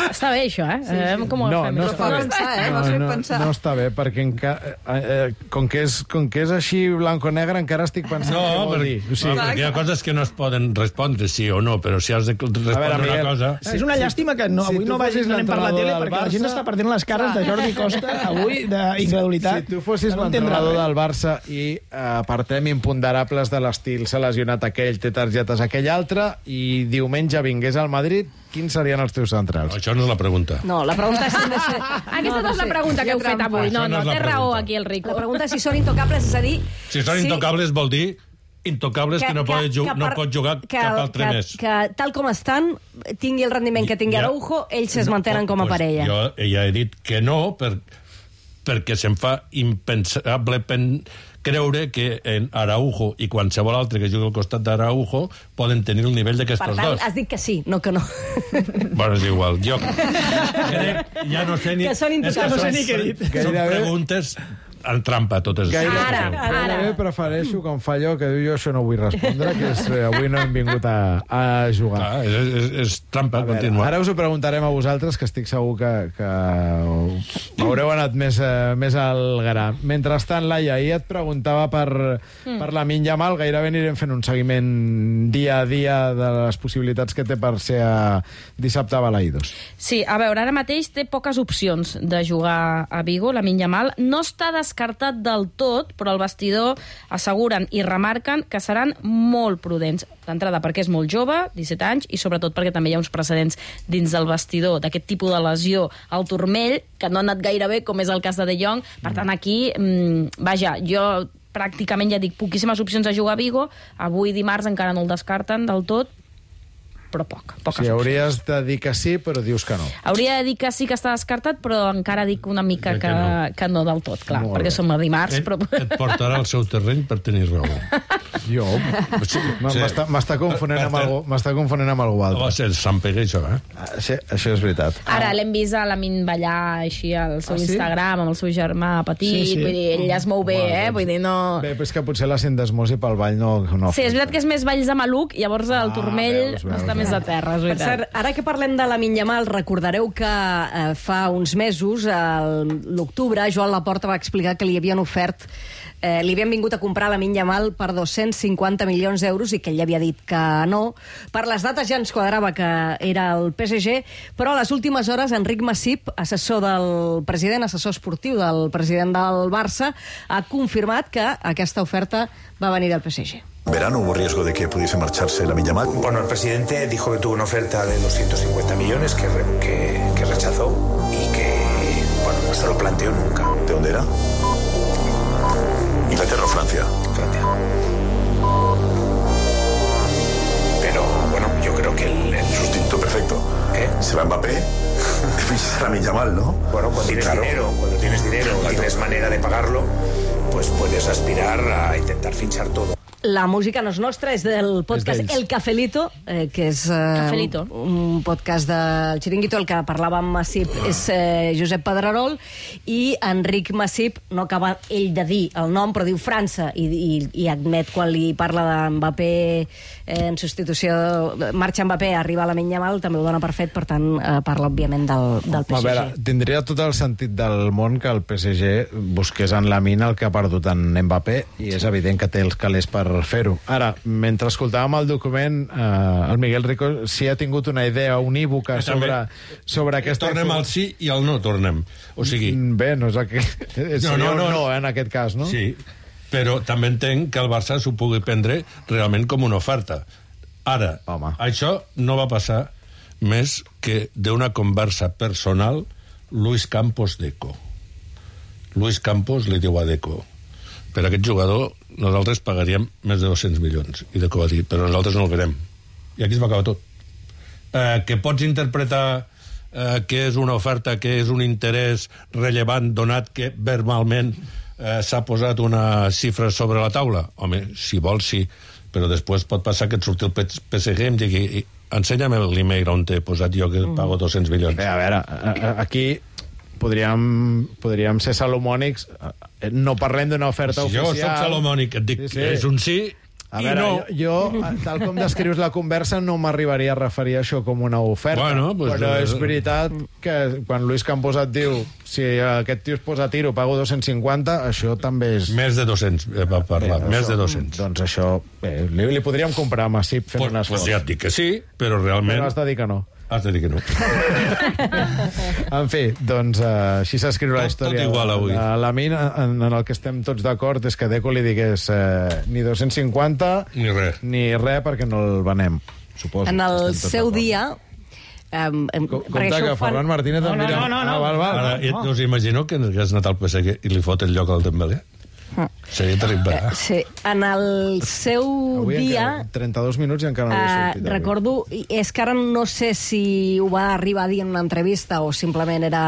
Està bé, això, eh? Sí, sí. Com ho No, fem? no Però està fa bé. pensar, eh? No, M'has fet no, pensar. no està bé, perquè enca... eh, eh, com, que és, com que és així blanco-negre encara estic pensant No, què vol perquè, dir. O no, sigui, perquè hi ha coses que no es poden respondre sí o no, però si has de respondre A veure, una Miguel, cosa... Sí, és una llàstima que no, si avui tu no vagis fossis anant per la tele, l'entrenador del perquè la gent Barça- està perdent les cares de Jordi Costa avui d'incredulitat. Si tu fossis No entendrà l'entrenador res. del Barça i eh, apartem imponderables de l'estil, s'ha lesionat aquell, té targetes aquell altre, i diumenge vingués al Madrid, quins serien els teus centrals? Això no és la pregunta. No, la pregunta és si han de ser... Aquesta no és la pregunta que heu fet avui. No, Això no no, és la té raó pregunta. aquí el Rico. La pregunta és si són intocables, és a dir... Si són intocables vol dir intocables que, que no, pot, ju no per- pot jugar que, cap altre que, més. Que, tal com estan, tingui el rendiment que tingui Ja- Araujo, ells es mantenen com a pues parella. Jo ja he dit que no, per, perquè se'm fa impensable pen, creure que en Araujo i qualsevol altre que jugui al costat d'Araujo poden tenir el nivell Per d'aquestos tant, dos. has dit que sí, no que no. Bueno, és igual. Jo crec, ja no sé ni... Que són és intocables. són- No sé ni què he dit. Són Gairebé- preguntes en trampa, totes. Gaire, Ara, ara. Gairebé prefereixo com fa allò que diu jo això no vull respondre, que és eh, avui no hem vingut a, a jugar. Ah, és, és, és trampa A veure, contínua. ara us ho preguntarem a vosaltres, que estic segur que, que haureu anat més, eh, més al gra. Mentrestant, Laia, ahir et preguntava per, mm. per la Yamal, gairebé anirem fent un seguiment dia a dia de les possibilitats que té per ser a dissabte a Balaïdos. Sí, a veure, ara mateix té poques opcions de jugar a Vigo, la Yamal. No està descartat del tot, però el vestidor asseguren i remarquen que seran molt prudents. D'entrada, perquè és molt jove, disset anys, i sobretot perquè també hi ha uns precedents dins del vestidor d'aquest tipus de lesió al turmell, que no ha anat gaire bé, com és el cas de De Jong. Per tant, aquí, mmm, vaja, jo pràcticament ja dic poquíssimes opcions a jugar a Vigo. Avui, dimarts, encara no el descarten del tot, però poc, poques Sí, opcions. hauries de dir que sí, però dius que no. Hauria de dir que sí que està descartat, però encara dic una mica Que que, no. que no del tot, clar, Molt perquè bé. som a dimarts, Et, però... et portarà al seu terreny per tenir raó. Jo... M'està m'està confonent amb algú, m'està confonent amb algú altre. Va ser Sant Pere, això, eh? Sí, això és veritat. Ara l'hem vist a l'Amin ballar així al seu Ah, sí? Instagram amb el seu germà petit, Sí, sí. vull dir, ell es mou bé, eh? Vull dir, no... Bé, però és que potser la sindesmosi pel ball no... no Sí, és veritat que és més balls de maluc, llavors el turmell veus, veus, està veus. més a terra, és Per veritat. cert, ara que parlem de la Yamal, recordareu que eh, fa uns mesos, a l'octubre, Joan Laporta va explicar que li havien ofert Eh, li havien vingut a comprar la Yamal per dos-cents cinquanta milions d'euros i que ell havia dit que no. Per les dates ja ens quadrava que era el P S G, però a les últimes hores Enric Masip, assessor del president, assessor esportiu del president del Barça, ha confirmat que aquesta oferta va venir del P S G. ¿Verano hubo riesgo de que pudiese marcharse la Yamal? Bueno, el presidente dijo que tuvo una oferta de doscientos cincuenta millones que, re, que, que rechazó y que, bueno, no se lo planteó nunca. ¿De dónde era? ¿Inglaterra o Francia? Francia. Pero, bueno, yo creo que el... el... Sustituto perfecto. ¿Eh? Se va Mbappé, fichas a la Yamal, ¿no? Bueno, cuando tienes Claro. dinero, cuando tienes dinero y Exacto. tienes manera de pagarlo, pues puedes aspirar a intentar fichar todo. La música no és nostra, és del podcast d'ells. El Cafelito, eh, que és eh, Cafelito. un podcast del Chiringuito. El que parlava amb Masip és eh, Josep Pedrerol, i Enric Masip no acaba ell de dir el nom, però diu França, i, i, i admet quan li parla d'Mbappé eh, en substitució, marxa Mbappé, arriba a la Yamal, també ho dona per fet, per tant eh, parla òbviament del, del P S G. A veure, tindria tot el sentit del món que el P S G busqués en la mina el que ha perdut en Mbappé, i és evident que té els calés per fer-ho. Ara, mentre escoltàvem el document, eh, el Miguel Rico sí ha tingut una idea unívoca sobre, sobre aquesta... Tornem al sí i al no tornem. O sigui... Bé, no és el que... Seria no, no, no. no, en aquest cas, no? Sí, però també entenc que el Barça s'ho pugui prendre realment com una oferta. Ara, Home. això no va passar més que d'una conversa personal Luis Campos Deco. Luis Campos li diu a Deco: per aquest jugador nosaltres pagaríem més de dos-cents milions. I Deco va dir: però nosaltres no el verem. I aquí es va acabar tot. Eh, que pots interpretar eh, que és una oferta, que és un interès rellevant, donat que verbalment eh, s'ha posat una xifra sobre la taula? Home, si vols, sí. Però després pot passar que et surti el P S G i em digui: ensenya'm l'email on t'he posat jo que pago dos-cents milions. Bé, a veure, a- a- aquí podríem, podríem ser salomònics. No parlem d'una oferta Si jo oficial. soc salomònic, et dic Sí, sí. que és un sí A i veure, no. jo, jo, tal com descrius la conversa, no m'arribaria a referir a això com una oferta. Bueno, pues, però eh, és veritat que quan Luis Campos et diu si aquest tio es posa a tiro, pago dos-cents cinquanta, això també és... Més de dos-cents, eh, va parlar, Bé, més això, de dos-cents. Doncs això, bé, li, li podríem comprar a Masip fent Pues, un pues esforç. ja et dic que sí, però realment... Però has de dir que no. Has de dir que no. En fi, doncs uh, així s'escriu la Tot- història. tot igual avui. A la mina, en, en el que estem tots d'acord és que Deco li digués eh, ni dos-cents cinquanta Ni res. ni res perquè no el venem, suposo. En el Estem tots seu d'acord. dia... Um, um, Compte que Ferran Martínez No, em no, dirà... no, no, no. Ah, val, val. Ara, no, no. us imagino que hagués anat al P S G i li fot el lloc al Dembélé? Seria terrible. Eh, sí, en el seu Avui dia... encara, trenta-dos minuts i encara no havia Uh, sortit. avui. recordo, i és que ara no sé si ho va arribar a dir en una entrevista o simplement era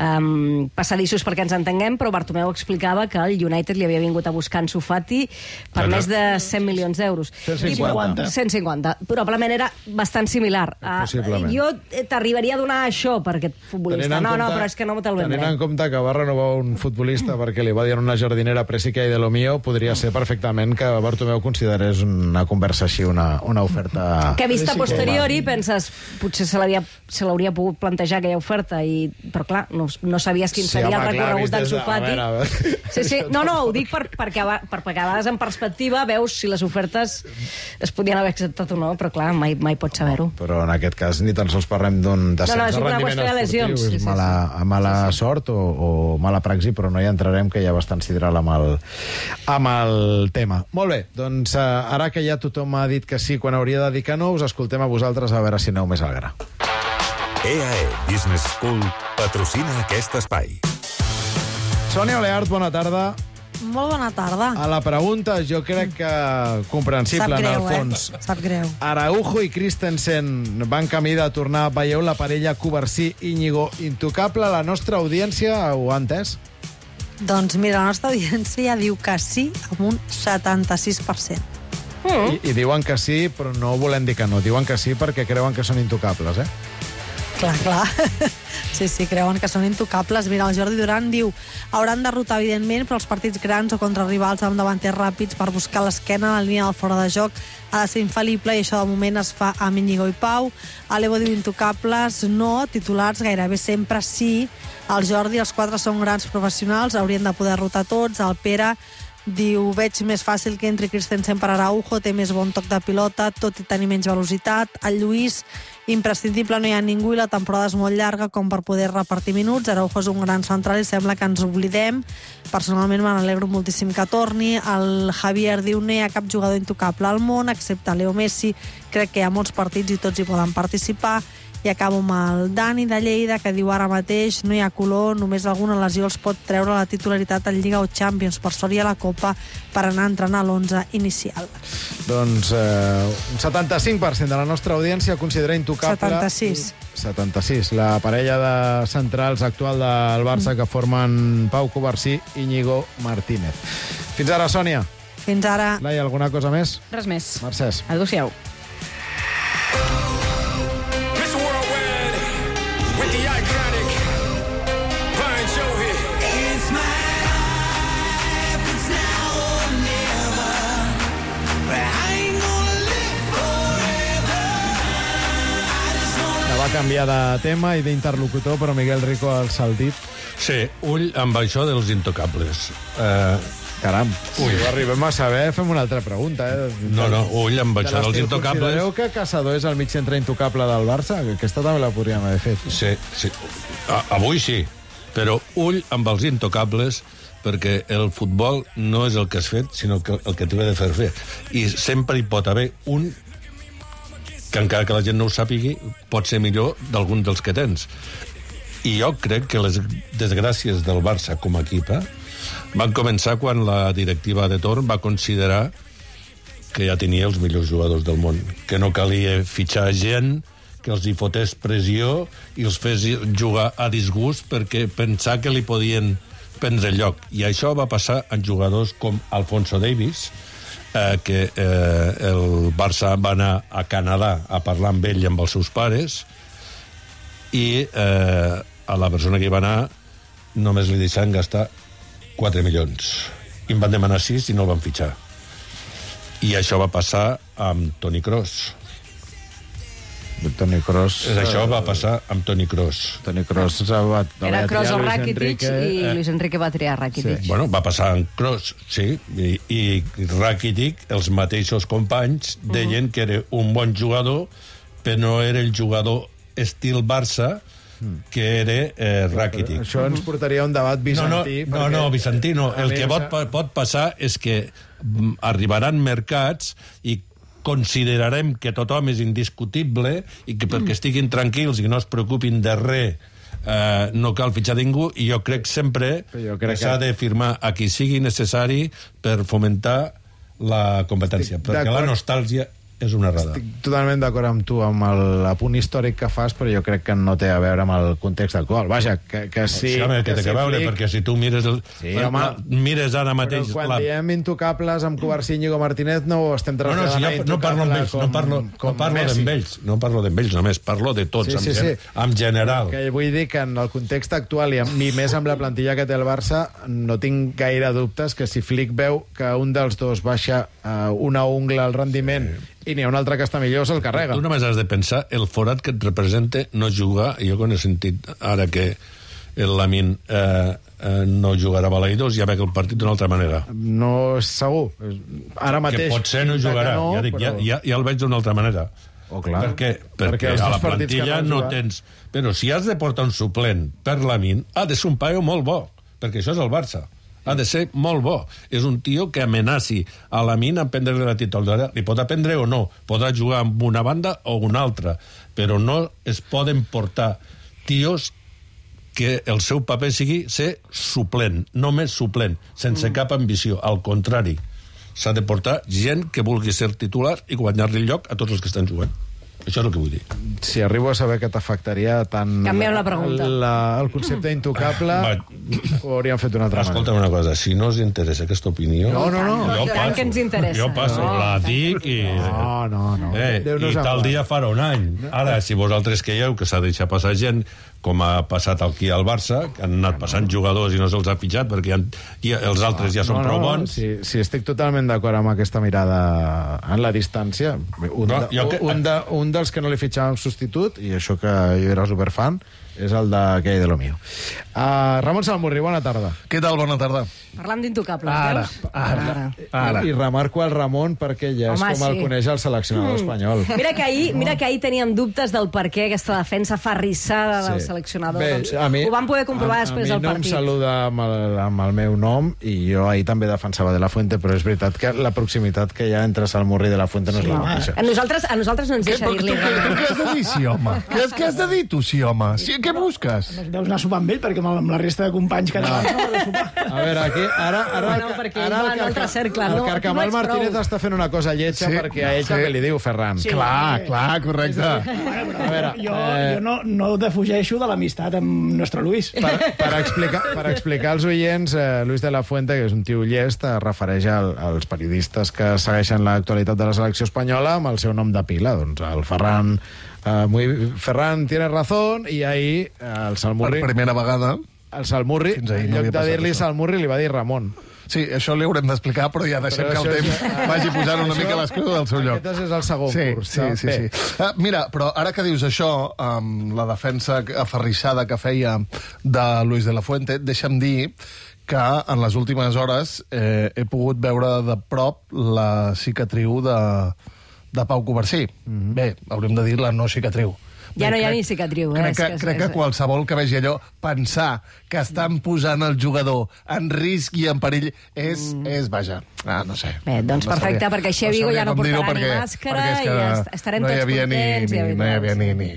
um, passadissos perquè ens entenguem, però Bartomeu explicava que el United li havia vingut a buscar en Sufati per Clar, més de cent milions d'euros. cent cinquanta. I- cent cinquanta. Probablement era bastant similar. Uh, Possiblement. jo t'arribaria a donar això per aquest futbolista. Tenint en No, no, compte- però és que no te'l Tenint en vendré. compte que va renovar un futbolista perquè li va dir a una jardinera presi que hi de lo mío, podria ser perfectament que Bartomeu considerés una conversa així, una, una oferta... Que vista Sí, posteriori penses, potser se l'havia se l'hauria pogut plantejar aquella oferta, i, però clar, no, no sabies quin Sí, seria home, el clar, recorregut vist d'en des de- Sufati. a veure, a veure. Sí, sí, no, no, ho dic per, perquè, a va- per, perquè a vegades en perspectiva veus si les ofertes es podien haver acceptat o no, però clar, mai, mai pots saber-ho. Però en aquest cas ni tan sols parlem d'un descens No, no, és de una rendiment qüestió de lesions, esportiu, sí, és sí, mala, mala sort o, o mala praxi, però no hi entrarem, que hi ha bastant sidral amb el, amb el tema. Molt bé, doncs eh, ara que ja tothom ha dit que sí quan hauria de dir que no, us escoltem a vosaltres a veure si aneu més al gra. E A E Business School patrocina aquest espai. Sònia Oleart, bona tarda. Molt bona tarda. A la pregunta, jo crec que comprensible, Sap greu, en el fons. eh? Sap greu. Araujo i Christensen van camí de tornar. Veieu la parella Covarsí-Íñigo intocable? La nostra audiència ho ha entès? Doncs mira, la nostra audiència diu que sí amb un setanta-sis per cent. I, I diuen que sí, però no volem dir que no. Diuen que sí perquè creuen que són intocables, eh? Clar, clar. Sí, sí, creuen que són intocables. Mira, el Jordi Duran diu hauran de rotar, evidentment, però els partits grans o contra rivals amb davanters ràpids per buscar l'esquena en la línia del fora de joc ha de ser infal·lible i això de moment es fa amb Íñigo i Pau. Alevo diu intocables, no, titulars gairebé sempre sí. El Jordi, els quatre són grans professionals, haurien de poder rotar tots. El Pere diu, veig més fàcil que entri Christensen per Araujo, té més bon toc de pilota, tot i tenir menys velocitat. El Lluís, imprescindible, no hi ha ningú i la temporada és molt llarga com per poder repartir minuts. Araujo és un gran central i sembla que ens oblidem. Personalment me n'alegro moltíssim que torni. El Javier diu, no hi ha cap jugador intocable al món, excepte Leo Messi. Crec que hi ha molts partits i tots hi poden participar. I acabo amb el Dani de Lleida, que diu ara mateix no hi ha color, només alguna lesió els pot treure la titularitat en Lliga o Champions, per sort hi ha la Copa per anar a entrenar a l'onze inicial. Doncs eh, un setanta-cinc per cent de la nostra audiència considera intocable... setanta-sis. setanta-sis. La parella de centrals actual del Barça mm. que formen Pau Covarsí i Íñigo Martínez. Fins ara, Sònia. Fins ara. Laia, alguna cosa més? Res més. Mercès. Adéu-siau. Va canviar de tema i d'interlocutor, però Miguel Rico ha alçat el dit. Sí, ull amb això dels intocables. Uh, Caram, si ho arribem a saber, fem una altra pregunta. Eh? No, no, ull amb això dels intocables. Considereu que Caçador és el mig centre intocable del Barça? Aquesta també la podríem haver fet. Sí, sí. A, avui sí, però ull amb els intocables, perquè el futbol no és el que has fet, sinó que el que t'ho ha de fer fer. I sempre hi pot haver un que encara que la gent no ho sàpigui, pot ser millor d'algun dels que tens. I jo crec que les desgràcies del Barça com a equip eh, van començar quan la directiva de torn va considerar que ja tenia els millors jugadors del món, que no calia fitxar gent, que els hi fotés pressió i els fes jugar a disgust perquè pensar que li podien prendre lloc. I això va passar en jugadors com Alfonso Davies, Eh, que eh, el Barça va anar a Canadà a parlar amb ell i amb els seus pares i eh, a la persona que hi va anar només li deixaven gastar quatre milions i en van demanar sis i no el van fitxar. I això va passar amb Toni Kroos. Toni Kroos... Això va passar amb Toni Kroos. Toni Kroos va... Era Kroos o Rakitic i Luis Enrique va triar Rakitic. Sí. Bueno, va passar amb Kroos, sí, i, i Rakitic, els mateixos companys, deien uh -huh. que era un bon jugador, però no era el jugador estil Barça, que era eh, Rakitic. Això ens portaria a un debat bizantí. No, no, no, bizantí no. El que pot, pot passar és que arribaran mercats i considerarem que tothom és indiscutible i que perquè estiguin tranquils i no es preocupin de res eh, no cal fitxar ningú, i jo crec sempre jo crec que s'ha que... de firmar a qui sigui necessari per fomentar la competència, perquè la nostàlgia és una errada. Estic totalment d'acord amb tu, amb el apunt històric que fas, però jo crec que no té a veure amb el context actual. Vaja, que, que sí... Sí, home, que, que té sí, a veure, flic... perquè si tu mires el, sí, la, home, la, mires ara mateix... Però quan la... diem intocables amb Covarsí i Íñigo Martínez no ho estem traslladant no, no, si a jo no parlo amb ells, com, no parlo, no parlo d'ells, no parlo d'ells només, parlo de tots, sí, sí, en, sí. en general. Que vull dir que en el context actual, i, amb, i més amb la plantilla que té el Barça, no tinc gaire dubtes que si Flick veu que un dels dos baixa uh, una ungla al rendiment sí. i n'hi ha un altre que està millor, se'l carrega. Tu només has de pensar el forat que et representa no jugar, i jo quan he sentit ara que el Lamin eh, eh, no jugarà a Balaidos, ja veig el partit d'una altra manera. No és segur. Ara mateix... Que potser no jugarà, no, ja, dic, però... ja, ja, ja el veig d'una altra manera. Oh, clar. Per què? Perquè, Perquè a la plantilla no, no tens... Però si has de portar un suplent per Lamin, ha de ser un paio molt bo, perquè això és el Barça. Ha de ser molt bo. És un tio que amenaci a Lamin a prendre la titularitat. Li pot aprendre o no. Podrà jugar amb una banda o una altra. Però no es poden portar tios que el seu paper sigui ser suplent, només suplent, sense mm. cap ambició. Al contrari, s'ha de portar gent que vulgui ser titular i guanyar-li el lloc a tots els que estan jugant. Això és el que vull dir. Si arribo a saber que t'afectaria tant... Canviem la pregunta. La, el concepte intocable, ho hauríem fet d'una altra manera. Escolta'm una cosa, si no us interessa aquesta opinió... No, no, no. Jo Tant passo. que ens interessa. Jo passo, No. la dic i... No, no, no. Eh, Déu-nos I en tal guard. dia farà un any. Ara, si vosaltres creieu que s'ha deixat passar gent, com ha passat aquí al Barça, que han anat passant jugadors i no se'ls ha fitxat perquè han, i els altres ja són no, prou no, bons... Si, si estic totalment d'acord amb aquesta mirada en la distància, un, No, de, jo que- un, de, un dels que no li fitxàvem substitut, i això que jo era superfan, és el de Què hay de lo mío. Uh, Ramon Salmurri, bona tarda. Què tal? Bona tarda. Parlant d'intocables, Ara, veus? ara, ara. I remarco el Ramon perquè ja és Home, com el sí. coneix el seleccionador Mm. espanyol. Mira que ahir, mira que ahir teníem dubtes del per què aquesta defensa ferrissada del Sí. seleccionador. Bé, doncs, a mi- ho vam poder comprovar a, després a del mi no partit. em saluda amb el, amb el meu nom i jo ahir també defensava De La Fuente, però és veritat que la proximitat que hi ha entre Salmurri i De La Fuente no és la mateixa. A nosaltres, a nosaltres no ens Què, deixa tu, dir-li tu, tu, què has de dir, sí, home? Què, has- què has de dir, tu, sí, home? Sí, què busques? Deus anar a sopar amb ell, perquè amb amb la resta de companys catalans no, no de sopar. A veure, aquí, ara, ara, Bueno, el, perquè ara ell va el, en altre cercle, el no, Carcamal tu no ets Martínez prou. està fent una cosa lletja Sí, perquè a ell sí. també li diu Ferran. Sí. Clar, clar, correcte. A veure, Jo, eh, jo no, no defugeixo de l'amistat amb nostre Luis. per, per, explicar, per explicar als oients, eh, Luis de la Fuente, que és un tio llest, es refereix al, als periodistes que segueixen l'actualitat de la selecció espanyola amb el seu nom de pila. Doncs el Ferran, eh, muy, Ferran tiene razón, i ahir eh, el Salmurri... Per primera vegada. El Salmurri, Fins ahir en no lloc havia de passat dir-li això. Salmurri, li va dir Ramon. Sí, això li haurem d'explicar, però ja deixem Però que el això temps és- vagi posant una Això- mica les coses al seu lloc. Aquest és el segon sí, curs. Sí, sí, Bé. sí. Uh, mira, però ara que dius això, amb la defensa aferrissada que feia de Luis de la Fuente, deixa'm dir que en les últimes hores eh, he pogut veure de prop la cicatriu de, de Pau Covarsí. Mm-hmm. Bé, haurem de dir la no cicatriu. Ja Bé, no hi ha crec- ni cicatriu. eh? Crec És que, és- crec que és- qualsevol que vegi allò, pensar que estan posant el jugador en risc i en perill és, mm. és vaja, ah, no sé. Bé, doncs No perfecte, sabria- perquè així a Vigo sabria ja no com dir-ho portarà ni perquè- màscara perquè és que i est- estarem no hi tots havia ni, contents i ni, no hi havia ni... ni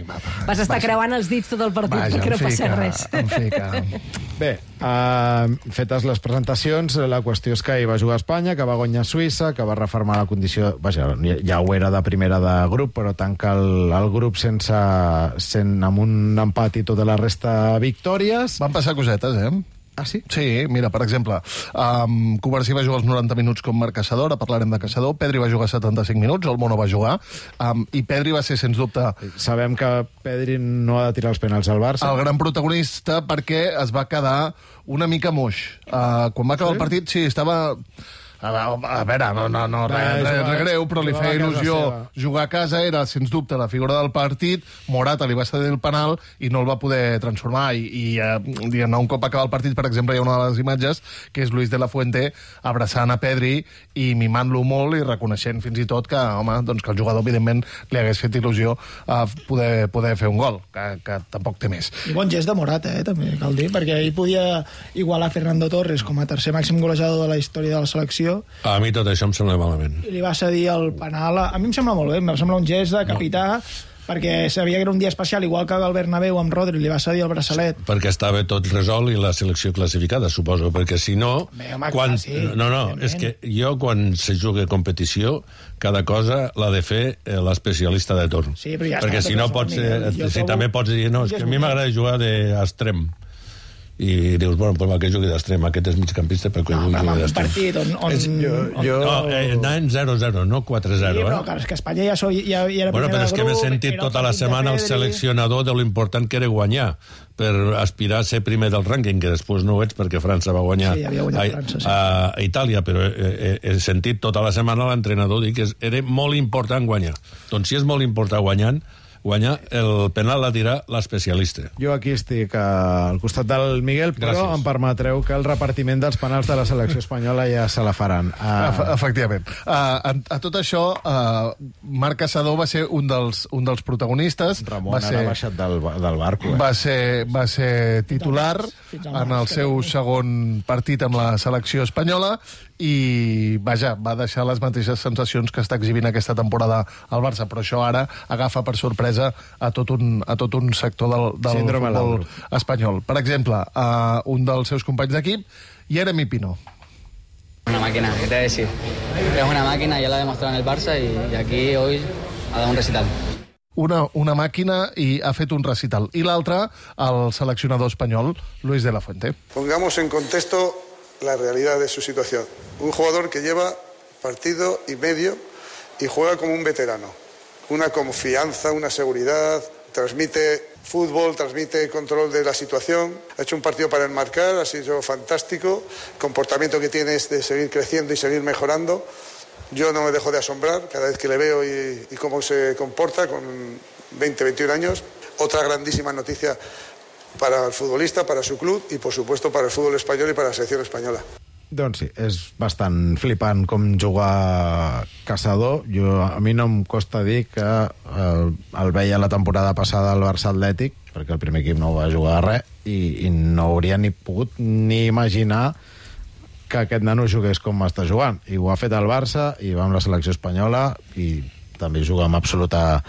Vas estar vaja. creuant els dits tot el partit Vaja, perquè no en fi passés que- res. en fi que- Bé, uh, fetes les presentacions, la qüestió és que hi va jugar a Espanya, que va guanyar Suïssa, que va reformar la condició... Vaja, ja ho era de primera de grup, però tanca el, el grup sense, sent, amb un empat i tota la resta victòries. Van passar cosetes, eh? Ah, sí? Sí, mira, per exemple, um, Covarsí va jugar els noranta minuts com a caçador, ara parlarem de caçador, Pedri va jugar setanta-cinc minuts, el Mono va jugar, um, i Pedri va ser, sens dubte, Sabem que Pedri no ha de tirar els penals al Barça. el gran protagonista perquè es va quedar una mica moix. Uh, quan va acabar Sí? el partit, sí, estava... A veure, a veure, no, no, no res, Res, res, jugava- res greu, però li jugava feia a casa il·lusió seva. jugar a casa, era, sens dubte, la figura del partit, Morata li va cedir el penal i no el va poder transformar, i, i eh, diguem-ne, un cop acaba el partit, per exemple, hi ha una de les imatges, que és Luis de la Fuente abraçant a Pedri i mimant-lo molt i reconeixent fins i tot que, home, doncs que el jugador, evidentment, li hagués fet il·lusió a poder, poder fer un gol, que, que tampoc té més. I bon gest de Morata, eh, també, cal dir, perquè ell podia igualar Fernando Torres com a tercer màxim golejador de la història de la selecció A mi tot això em sembla malament. i li va cedir el penal. A mi em sembla molt bé, em sembla un gest de capità, perquè sabia que era un dia especial, igual que el Bernabéu amb Rodri li va cedir el braçalet. Perquè estava tot resolt i la selecció classificada, suposo, perquè si no... Bé, home, quan... clar, sí, no, no, evidentment. és que jo quan se juga competició, cada cosa l'ha de fer eh, l'especialista de torn. Sí, però ja perquè està, si no tot pots... això, Eh, Miguel. Jo si trobo- també pots dir, no, és que a mi m'agrada jugar d'extrem. I dius, bueno, pues va, que jugui d'extrem, aquest és migcampista, perquè vull Amb jugar un d'extrem. partit on... on, És- on... jo- No, eh, anàvem zero zero, no quatre Sí, zero, però eh? clar, és que Espanya ja, soy, ja, ja era Bueno, primera però és de que m'he grup, sentit era el tota la partit de setmana el Pedri. seleccionador de lo important que era guanyar per aspirar a ser primer del rànquing, que després no ho ets perquè França va guanyar, Sí, havia guanyat a, França, sí. a, a Itàlia, però he, he, he sentit tota la setmana l'entrenador dir que és- era molt important guanyar. Doncs si és molt important guanyant, guanyar, el penal la dirà l'especialista. Jo aquí estic uh, al costat del Miguel, però Gràcies. em permetreu que el repartiment dels penals de la selecció espanyola ja se la faran. Uh, Uh, Efectivament. Uh, a, a tot això, uh, Marc Caçador va ser un dels, un dels protagonistes. Ramon va ara ser, ha baixat del, del barco. Eh? va ser, va ser titular Fins al en el març, seu que segon partit amb la selecció espanyola i, vaja, va deixar les mateixes sensacions que està exhibint aquesta temporada al Barça, però això ara agafa per sorpresa a tot un, a tot un sector del, del Síndrome futbol Lauro. espanyol. Per exemple, uh, un dels seus companys d'equip, Jeremy Pino. Una máquina, ¿qué te voy a decir? Es una máquina, ya la ha demostrado en el Barça y, y aquí hoy ha dado un recital. una, una màquina i ha fet un recital. I l'altre, el seleccionador espanyol, Luis de la Fuente. Pongamos en contexto la realidad de su situación. Un jugador que lleva partido y medio y juega como un veterano. Una confianza, una seguridad, transmite fútbol, transmite control de la situación. Ha hecho un partido para enmarcar, ha sido fantástico. El comportamiento que tiene es de seguir creciendo y seguir mejorando. Yo no me dejo de asombrar cada vez que le veo y, y cómo se comporta con veinte, veintiún años. Otra grandísima noticia para el futbolista, para su club y, por supuesto, para el fútbol español y para la selección española. Doncs sí, és bastant flipant com jugar Caçador. Jo, a mi no em costa dir que el, el veia la temporada passada al Barça Atlètic, perquè el primer equip no va jugar a res, i, i no hauria ni pogut ni imaginar que aquest nano jugués com està jugant. I ho ha fet al Barça, i va amb la selecció espanyola, i també juga amb absoluta,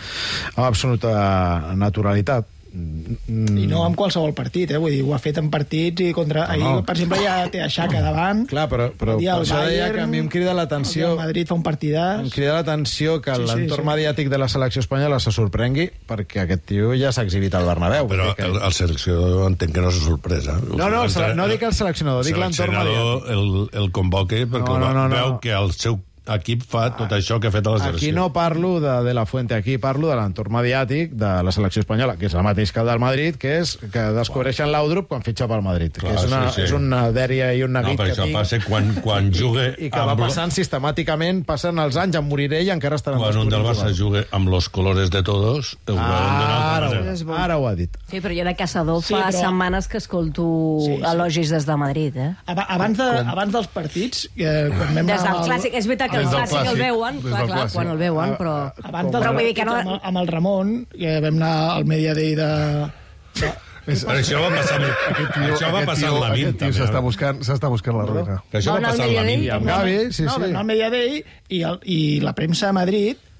amb absoluta naturalitat. I no amb qualsevol partit, eh? Vull dir, ho ha fet en partits i contra... No, no. Ahir, per exemple, ja té a Xhaka davant. Clar, però, però per això Bayern, deia que a mi em crida l'atenció... El Madrid fa un partidàs. Em crida l'atenció que sí, l'entorn sí, sí. mediàtic de la selecció espanyola se sorprengui, perquè aquest tio ja s'ha exhibit al Bernabéu. Però que... el, el seleccionador entenc que no és sorpresa. No, no, el, no dic el seleccionador, dic l'entorn mediàtic. El, el convoque perquè no, no, no, veu no. que el seu equip fa tot això que ha fet a la selecció. Aquí no parlo de, de la Fuente, aquí parlo de l'entorn mediàtic de la selecció espanyola, que és el mateix que el del Madrid, que és que descobreixen l'Audrup quan fitxa pel Madrid. Clar, que és una, sí, sí. és una dèria i un neguit no, que això tinc. Passa quan, quan jugue... I que va passant sistemàticament, passen els anys, em moriré i encara estan... Quan un del Barça jugue amb los colores de todos... Ah, ara, ho, ara ho ha dit. Sí, però jo de Caçador sí, fa però... setmanes que escolto sí, sí. elogis des de Madrid, eh? Abans, de, abans dels partits... Eh, quan des del el... clàssic, és veritat que el clàssic el veu veuen, clar, clar, quan el veuen, però... Abans del però vull dir que no... amb, amb el Ramon, que vam anar al Media Day de... de... És, això va passar, aquest tio, això va passar amb la Min. Aquest tio s'està buscant, s'està buscant la ruïna. Que això va passar amb la Min. Amb Gavi, sí, no, sí. Vam anar al Media Day i, el, i la premsa de Madrid,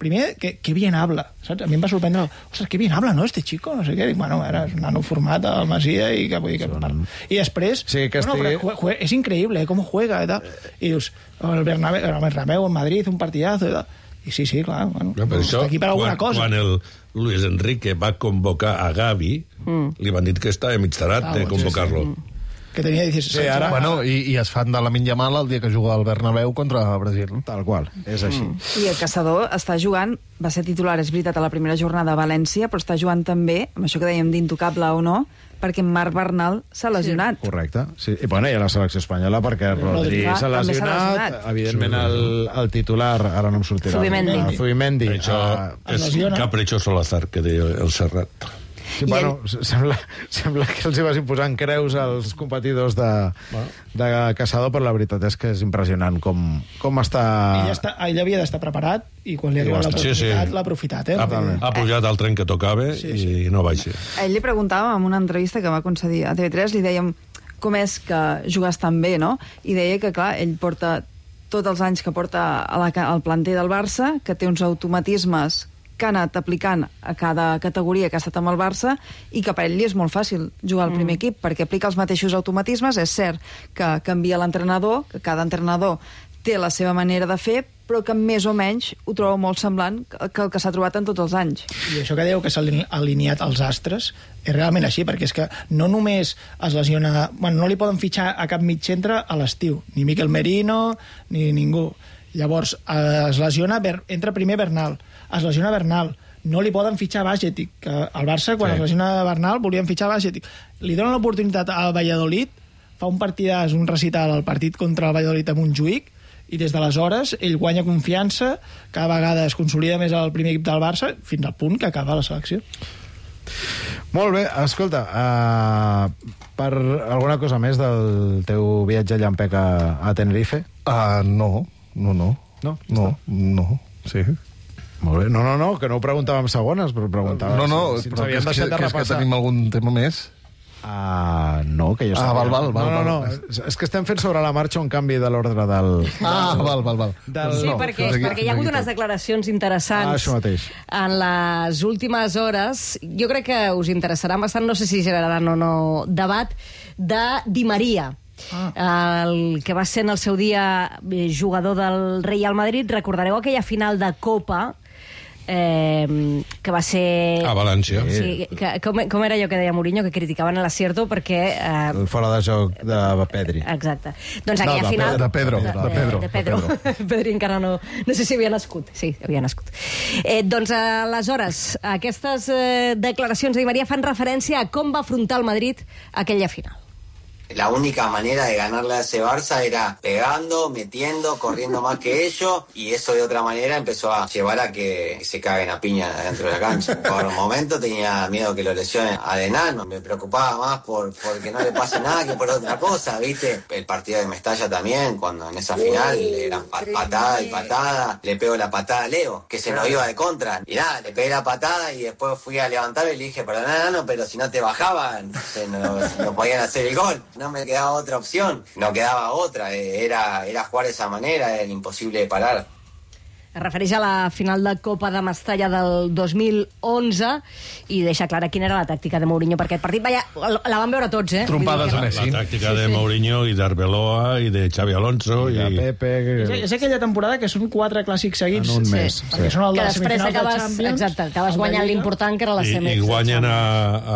primer, que, que bien habla, saps? A mi em va sorprendre, ostres, que bien habla, no, este chico? No sé què. Dic, bueno, era un nano format al Masia i que vull dir que... Són... I després, sí, que bueno, estigui... però jue, és increïble, eh, com juega, i tal. I dius, el Bernabéu, el Bernabéu en Madrid, un partidazo, i tal. I sí, sí, clar, bueno, no, això, està aquí per alguna quan, cosa. Quan el Luis Enrique va convocar a Gavi, mm. li van dir que estava mitjarat ah, de convocar-lo. Sí, sí. Que tenia disset sí, ara, bueno, i, i es fan de la Lamine Yamal el dia que juga al Bernabéu contra Brasil. Tal qual, és així. Mm. I el Caçador està jugant, va ser titular, és veritat, a la primera jornada a València, però està jugant també, amb això que dèiem d'intocable o no, perquè Marc Bernal s'ha lesionat. Sí. Correcte. Sí. I, bueno, i a la selecció espanyola perquè Rodri s'ha lesionat, lesionat, evidentment el, el titular, ara no em sortirà. Zubimendi. El Zubimendi. Això uh, és Capricho Solazar, que deia el Serrat. Sí, bueno, ell... sembla, sembla que els hi vas imposant creus als competidors de, bueno. de Caçador, però la veritat és que és impressionant com, com està... Ell, està, ell havia d'estar preparat i quan li arriba l'oportunitat sí, sí. l'ha aprofitat. Eh? Ha, ha pujat al tren que tocava sí, sí. i no baixa. A ell li preguntàvem en una entrevista que va concedir a T V tres, li dèiem com és que jugues tan bé, no? I deia que, clar, ell porta tots els anys que porta a la, al planter del Barça, que té uns automatismes que ha anat aplicant a cada categoria que ha estat amb el Barça i que per ell li és molt fàcil jugar al mm. primer equip perquè aplica els mateixos automatismes. És cert que canvia l'entrenador, que cada entrenador té la seva manera de fer, però que més o menys ho trobo molt semblant que el que s'ha trobat en tots els anys. I això que dèieu que s'ha alineat els astres és realment així, perquè és que no només es lesiona... Bueno, no li poden fitxar a cap mig centre a l'estiu, ni Miquel Merino, ni ningú. Llavors, es lesiona, entra primer Bernal, es lesiona Bernal, no li poden fitxar Bajcetic, que al Barça, quan sí. es lesiona Bernal, volien fitxar Bajcetic. Li donen l'oportunitat al Valladolid, fa un partidàs, un recital al partit contra el Valladolid a Montjuïc, i des d'aleshores ell guanya confiança, cada vegada es consolida més al primer equip del Barça, fins al punt que acaba la selecció. Molt bé, escolta, uh, per alguna cosa més del teu viatge llampec a, a Tenerife? Uh, no, no, no. No? No, no, sí. Molt bé, no, no, no, que no ho preguntàvem segones, però preguntàvem no, no, si, si però ens havien deixat de repassar. És que tenim algun tema més? Uh, no, que jo ah, val, val, val, no, no, val. no, és que estem fent sobre la marxa un canvi de l'ordre del... Ah, val, val, val. Del, sí, no, perquè, és perquè hi ha hagut unes declaracions interessants ah, això mateix. En les últimes hores. Jo crec que us interessarà bastant, no sé si generaran o no debat, de Di Maria. Ah. El que va ser en el seu dia jugador del Real Madrid. Recordareu aquella final de Copa eh, que va ser... A València. Sí, que, com, com era allò que deia Mourinho, que criticaven l'Acierto perquè... Eh, El fora de joc de Pedri. Exacte. Doncs No, aquella de final... Pedro, de Pedro, De, de Pedro, de Pedro. de Pedro. Pedri encara no... No sé si havia nascut. Sí, havia nascut. Eh, doncs, aleshores, aquestes eh, declaracions de Di María fan referència a com va afrontar el Madrid aquella final. La única manera de ganarle a ese Barça era pegando, metiendo, corriendo más que ellos, y eso de otra manera empezó a llevar a que se caguen a piña dentro de la cancha. Por un momento tenía miedo que lo lesione a Denano, me preocupaba más por, por que no le pase nada que por otra cosa, ¿viste? El partido de Mestalla también, cuando en esa final eran pa- patada y patada, le pego la patada a Leo, que se nos iba de contra, y nada, le pegué la patada y después fui a levantar y le dije, perdón, Denano, pero si no te bajaban, se nos, no podían hacer el gol. No me quedaba otra opción, no quedaba otra, era, era jugar de esa manera, era imposible de parar. Es refereix a la final de Copa de Mestalla del dos mil onze i deixa clara quina era la tàctica de Mourinho per aquest partit. Vaja, la van veure tots, eh? Trompades a Messi. La tàctica de Mourinho i d'Arbeloa i de Xavi Alonso i... de Pepe... És, és aquella temporada que són quatre clàssics seguits. En un mes, Sí, perquè sí. són el de Que les després semifinals de acabes, Champions. exacte, acabes guanyant l'important, que era la I, semi. i guanyen a,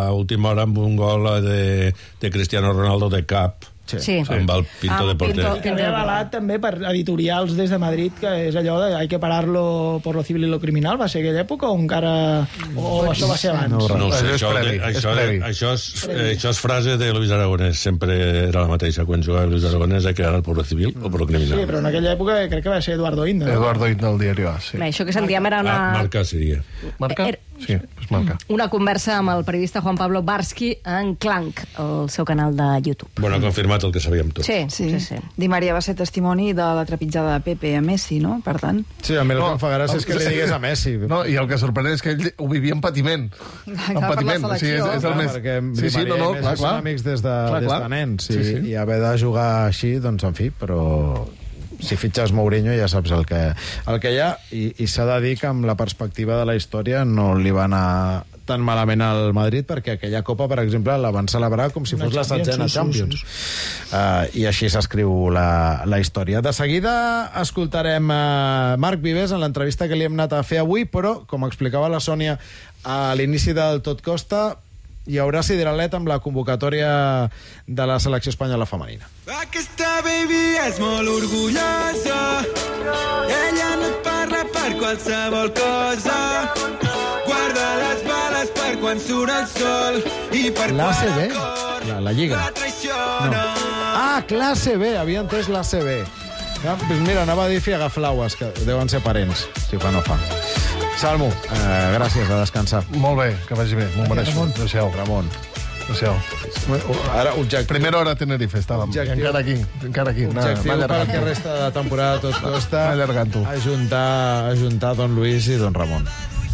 a última hora amb un gol de, de Cristiano Ronaldo de cap. Sí. Amb el Pinto Ah, de porter. Pinto. Que ve avalat també per editorials des de Madrid, que és allò de hay que pararlo por lo civil y lo criminal. Va ser aquella època o encara... O això va ser abans? No, no ho sé, Això és això, previ, de, és això, previ. això, és, eh, això és frase de Luis Aragonès. Sempre era la mateixa. Quan jugava Luis Aragonès hay que ganar por lo civil o por lo criminal. Sí, però en aquella època crec que va ser Eduardo Inda. Eduardo Inda del diari A, sí. Bé, això que sentíem era una... Ah, marca seria. Marca? Era- Sí, pues marca. Una conversa amb el periodista Juan Pablo Barsky en Clank, el seu canal de YouTube. Bueno, ha confirmat el que sabíem tots. Sí, sí, sí. sí. Di Maria va ser testimoni de la trepitjada de Pepe a Messi, no? Per tant... Sí, a mi el que em fa gràcia és que li digués a Messi. No, i el que sorprèn és que ell ho vivia en patiment. En per la patiment. O sigui, és, és el Clar, més... perquè Sí, sí, no, no, clar, clar. són amics des de, Clar, des clar. de nens, i, Sí, sí. i haver de jugar així, doncs, en fi, però si fitxes Mourinho ja saps el que, el que hi ha, i, i s'ha de dir que amb la perspectiva de la història no li va anar tan malament al Madrid, perquè aquella Copa, per exemple, la van celebrar com si Una fos la Champions, setzena sí, sí, Champions. sí, Uh, I així s'escriu la, la història. De seguida escoltarem uh, Marc Vives en l'entrevista que li hem anat a fer avui, però, com explicava la Sònia a l'inici del Tot Costa, hi haurà sideralet amb la convocatòria de la selecció espanyola femenina. Aquesta baby és molt orgullosa, ella no et parla per qualsevol cosa, guarda les bales per quan surt el sol i per L'A C B? quan el cor La, la Lliga. la traiciona. Ah, classe B, havia entès l'A C B. Ja, doncs mira, anava a dir Fiagaflaues, que deuen ser parents, si fa no fa. Salmo, eh, gràcies, a descansar. Molt bé, que vagi bé, m'ho mereixo. Adéu-siau. Ramon. Adéu-siau. Ara, objectiu. Primera hora a Tenerife estàvem. I Objectiu. encara aquí, encara aquí. Anar- Objectiu anar pel allargant-ho. que resta de temporada tot costa Va allargant-ho. ajuntar, ajuntar Don Luis i Don Ramon.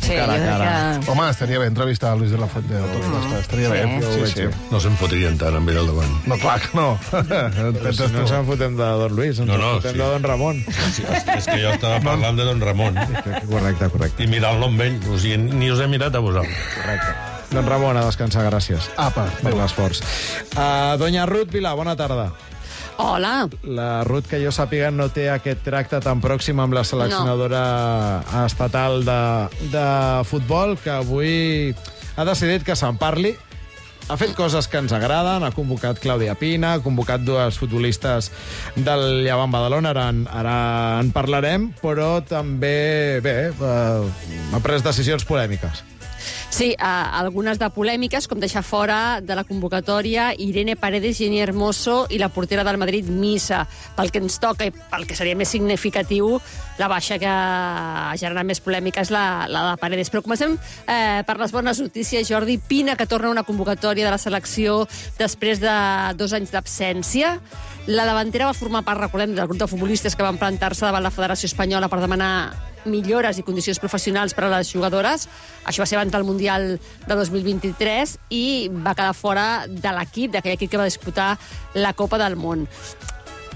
Sí, cara a jo crec cara. que... Home, estaria bé entrevistar a Luis de la Fuente. No, no, estaria bé. Sí, Sí, sí. No se'n fotrien tant amb ell al davant. No, clar que no. Però si no ens en fotem de Don Luis, ens No, en no, fotem sí. de Don Ramon. Sí, és que jo estava parlant de Don Ramon. Correcte, correcte. I mirant-lo amb ell. O sigui, ni us he mirat a vosaltres. Correcte. Don Ramon, a descansar, gràcies. Apa, per l'esforç. Uh, Doña Ruth Vilà, bona tarda. Hola. La Ruth, que jo sàpiga, no té aquest tracte tan pròxim amb la seleccionadora no. estatal de, de futbol, que avui ha decidit que se'n parli. Ha fet coses que ens agraden, ha convocat Clàudia Pina, ha convocat dues futbolistes del Llevant Badalona, ara, en- ara en parlarem, però també, bé, eh, ha pres decisions polèmiques. Sí, uh, algunes de polèmiques, com deixar fora de la convocatòria Irene Paredes, Jenny Hermoso i la portera del Madrid, Misa. Pel que ens toca i pel que seria més significatiu, la baixa que ha generat més polèmica és la, la de Paredes. Però comencem eh, per les bones notícies. Jordi Pina, que torna a una convocatòria de la selecció després de dos anys d'absència. La davantera va formar part, recordem, del grup de futbolistes que van plantar-se davant la Federació Espanyola per demanar millores i condicions professionals per a les jugadores. Això va ser abans del Mundial de dos mil vint-i-tres i va quedar fora de l'equip, d'aquell equip que va disputar la Copa del Món.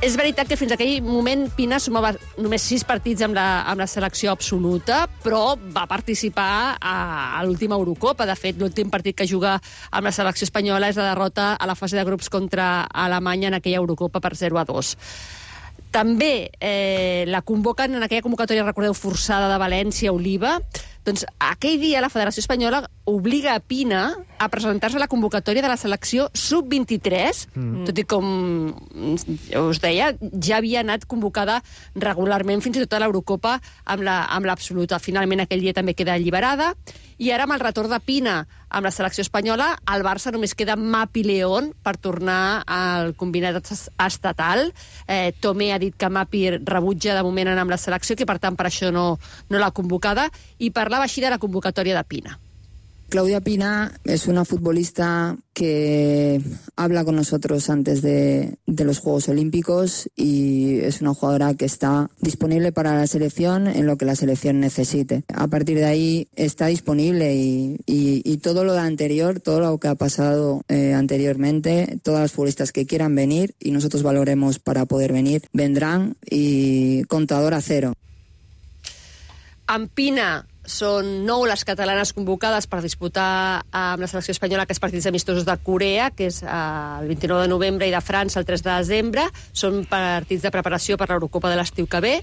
És veritat que fins a aquell moment Pina sumava només sis partits amb la, amb la selecció absoluta, però va participar a, a l'última Eurocopa. De fet, l'últim partit que juga amb la selecció espanyola és la derrota a la fase de grups contra Alemanya en aquella Eurocopa per zero a dos. També eh, la convoquen en aquella convocatòria, recordeu, forçada de València, Oliva. Doncs aquell dia la Federació Espanyola obliga a Pina a presentar-se a la convocatòria de la selecció sub vint-i-tres, mm. tot i com us deia, ja havia anat convocada regularment fins i tot a l'Eurocopa amb l'absoluta. La, Finalment aquell dia també queda alliberada, i ara amb el retorn de Pina amb la selecció espanyola, al Barça només queda Mapi León per tornar al combinat estatal. Eh, Tomé ha dit que Mapi rebutja de moment anar amb la selecció, que per tant per això no, no l'ha convocada, i parlava així de la convocatòria de Pina. Claudia Pina es una futbolista que habla con nosotros antes de, de los Juegos Olímpicos y es una jugadora que está disponible para la selección en lo que la selección necesite. A partir de ahí está disponible y, y, y todo lo anterior, todo lo que ha pasado eh, anteriormente, todas las futbolistas que quieran venir y nosotros valoremos para poder venir, vendrán y contador a cero. Amb Pina són nou les catalanes convocades per disputar amb la selecció espanyola aquests partits amistosos de Corea, que és el vint-i-nou de novembre, i de França el tres de desembre. Són partits de preparació per l'Eurocopa de l'estiu que ve.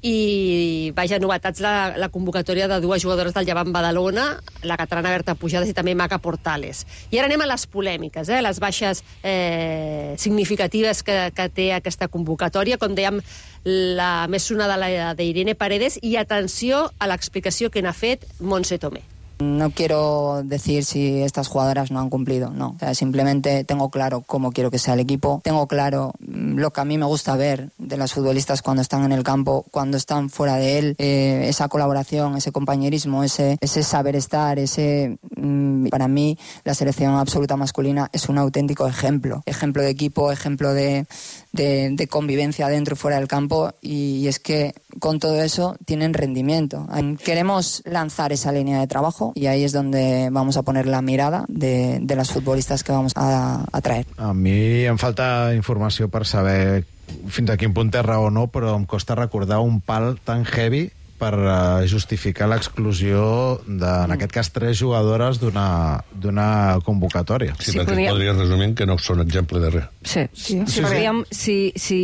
I, vaja, novetats la, la convocatòria de dues jugadores del Llevant Badalona, la catalana Berta Pujades i també Maca Portales. I ara anem a les polèmiques, eh? les baixes eh, significatives que, que té aquesta convocatòria. Com dèiem, la més sonada, la d'Irene Paredes, i atenció a l'explicació que n'ha fet Montse Tomé. No quiero decir si estas jugadoras no han cumplido, no. O sea, simplemente tengo claro cómo quiero que sea el equipo, tengo claro lo que a mí me gusta ver de las futbolistas cuando están en el campo, cuando están fuera de él, eh, esa colaboración, ese compañerismo, ese, ese saber estar, ese... Mmm, para mí, la selección absoluta masculina es un auténtico ejemplo. Ejemplo de equipo, ejemplo de, de, de convivencia dentro y fuera del campo, y, y es que con todo eso tienen rendimiento. Queremos lanzar esa línea de trabajo y ahí es donde vamos a poner la mirada de, de las futbolistas que vamos a, a traer. A mi em falta informació per saber fins a quin punt té raó o no, però em costa recordar un pal tan heavy per uh, justificar l'exclusió de, en aquest cas, tres jugadores d'una convocatòria. Sí, sí, perquè podríem... podria resumir que no són exemple de res. Sí, sí, sí, sí, podríem, si, si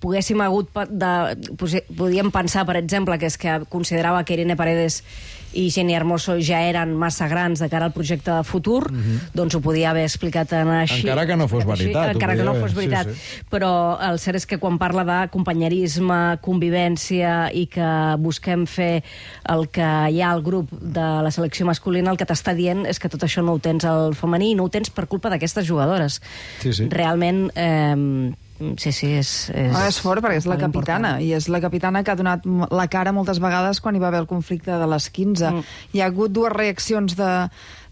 poguéssim hagut de, podíem pensar, per exemple, que és que considerava que Irene Paredes i Jenny Hermoso ja eren massa grans de cara al projecte de futur, mm-hmm. doncs ho podia haver explicat en així. Encara que no fos veritat. Encara que no fos veritat. Sí, sí. Però el cert és que quan parla de companyerisme, convivència i que busquem fer el que hi ha al grup de la selecció masculina, el que t'està dient és que tot això no ho tens al femení i no ho tens per culpa d'aquestes jugadores. Sí, sí. Realment... Eh, Sí, sí, és... És, ah, és fort, perquè és la capitana, important. I és la capitana que ha donat la cara moltes vegades quan hi va haver el conflicte de les quinze. Mm. Hi ha hagut dues reaccions de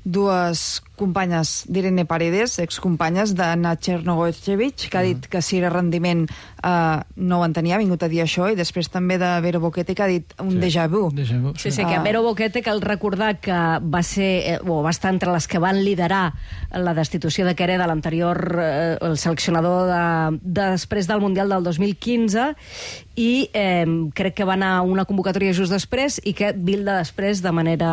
dues companyes d'Irene Paredes, excompanyes de Nacher Nogochevich, que ha dit que si era rendiment eh, no ho entenia, ha vingut a dir això, i després també de Vero Boquete, que ha dit un sí. déjà vu. Déjà vu sí, sí, sí, que Vero Boquete, cal recordar que va ser, eh, o va estar entre les que van liderar la destitució de Quereda, l'anterior eh, el seleccionador de, de després del Mundial del dos mil quinze, i eh, crec que va anar a una convocatòria just després i que bilda després de manera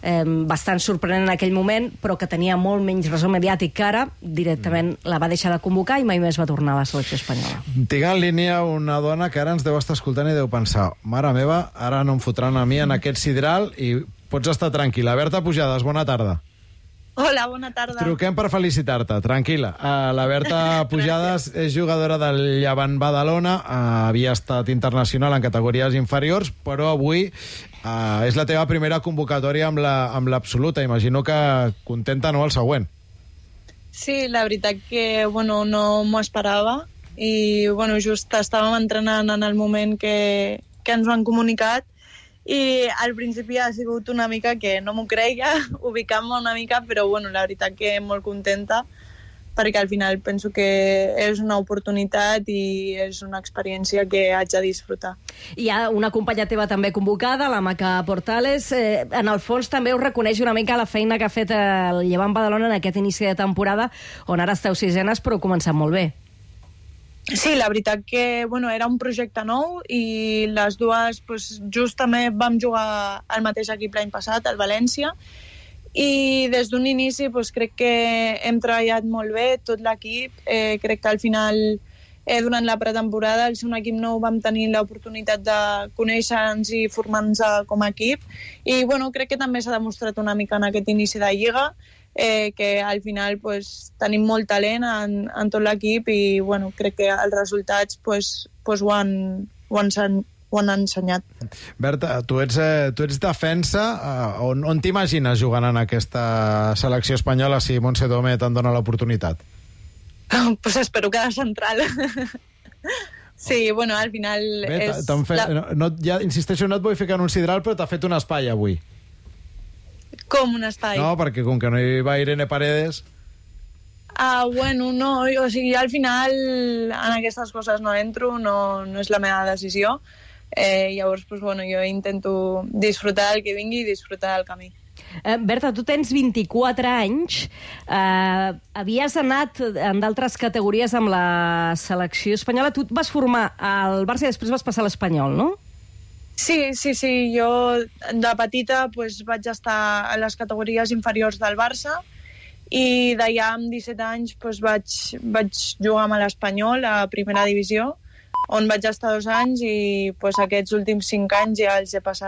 eh, bastant sorprenent en aquell moment, però que tenia molt menys ressò mediàtic que ara, directament la va deixar de convocar i mai més va tornar a la selecció espanyola. Tinc en línia una dona que ara ens deu estar escoltant i deu pensar, mare meva, ara no em fotran a mi en aquest sidral, i pots estar tranquil·la. Berta Pujades, bona tarda. Hola, bona tarda. Truquem per felicitar-te, tranquil·la. Uh, la Berta Pujades és jugadora del Llevant Badalona, uh, havia estat internacional en categories inferiors, però avui uh, és la teva primera convocatòria amb l'absoluta. La, amb Imagino que contenta, no, el següent. Sí, la veritat que bueno, no m'ho esperava i bueno, just estàvem entrenant en el moment que, que ens ho han comunicat, i al principi ha sigut una mica que no m'ho creia, ubicant-me una mica, però bueno, la veritat que molt contenta, perquè al final penso que és una oportunitat i és una experiència que haig de disfrutar. Hi ha una companya teva també convocada, la Maca Portales. Eh, en el fons també us reconeix una mica la feina que ha fet el Llevant Badalona en aquest inici de temporada, on ara esteu sisenes, però heu començat molt bé. Sí, la veritat que bueno, era un projecte nou i les dues pues, just també vam jugar al mateix equip l'any passat, al València, i des d'un inici pues, crec que hem treballat molt bé, tot l'equip. Eh, crec que al final eh, durant la pretemporada. Al ser un equip nou vam tenir l'oportunitat de conèixer-nos i formar-nos com a equip. I bueno, crec que també s'ha demostrat una mica en aquest inici de Lliga, eh, que al final pues, tenim molt talent en, en tot l'equip i bueno, crec que els resultats pues, pues, ho han, ho han ho han ensenyat. Berta, tu ets, eh, tu ets defensa. Eh, on on t'imagines jugant en aquesta selecció espanyola si Montse Tomé te'n dona l'oportunitat? Pues espero que de central. Sí, bueno, al final... Bé, és fet, la... no, no, ja, insisteixo, no et vull ficar en un sidral, però t'ha fet un espai avui. Com un espai? No, perquè com que no hi va Irene Paredes... Ah, bueno, no, o sigui, al final en aquestes coses no entro, no, no és la meva decisió. Eh, llavors, pues, bueno, jo intento disfrutar el que vingui i disfrutar del camí. Eh, Berta, tu tens vint-i-quatre anys, eh, havies anat en d'altres categories amb la selecció espanyola, tu et vas formar al Barça i després vas passar a l'Espanyol, no? Sí, sí, sí, jo de petita pues, vaig estar a les categories inferiors del Barça i d'allà amb disset anys pues, vaig, vaig jugar amb l'Espanyol a primera divisió, on vaig estar dos anys i pues, aquests últims cinc anys ja els he passat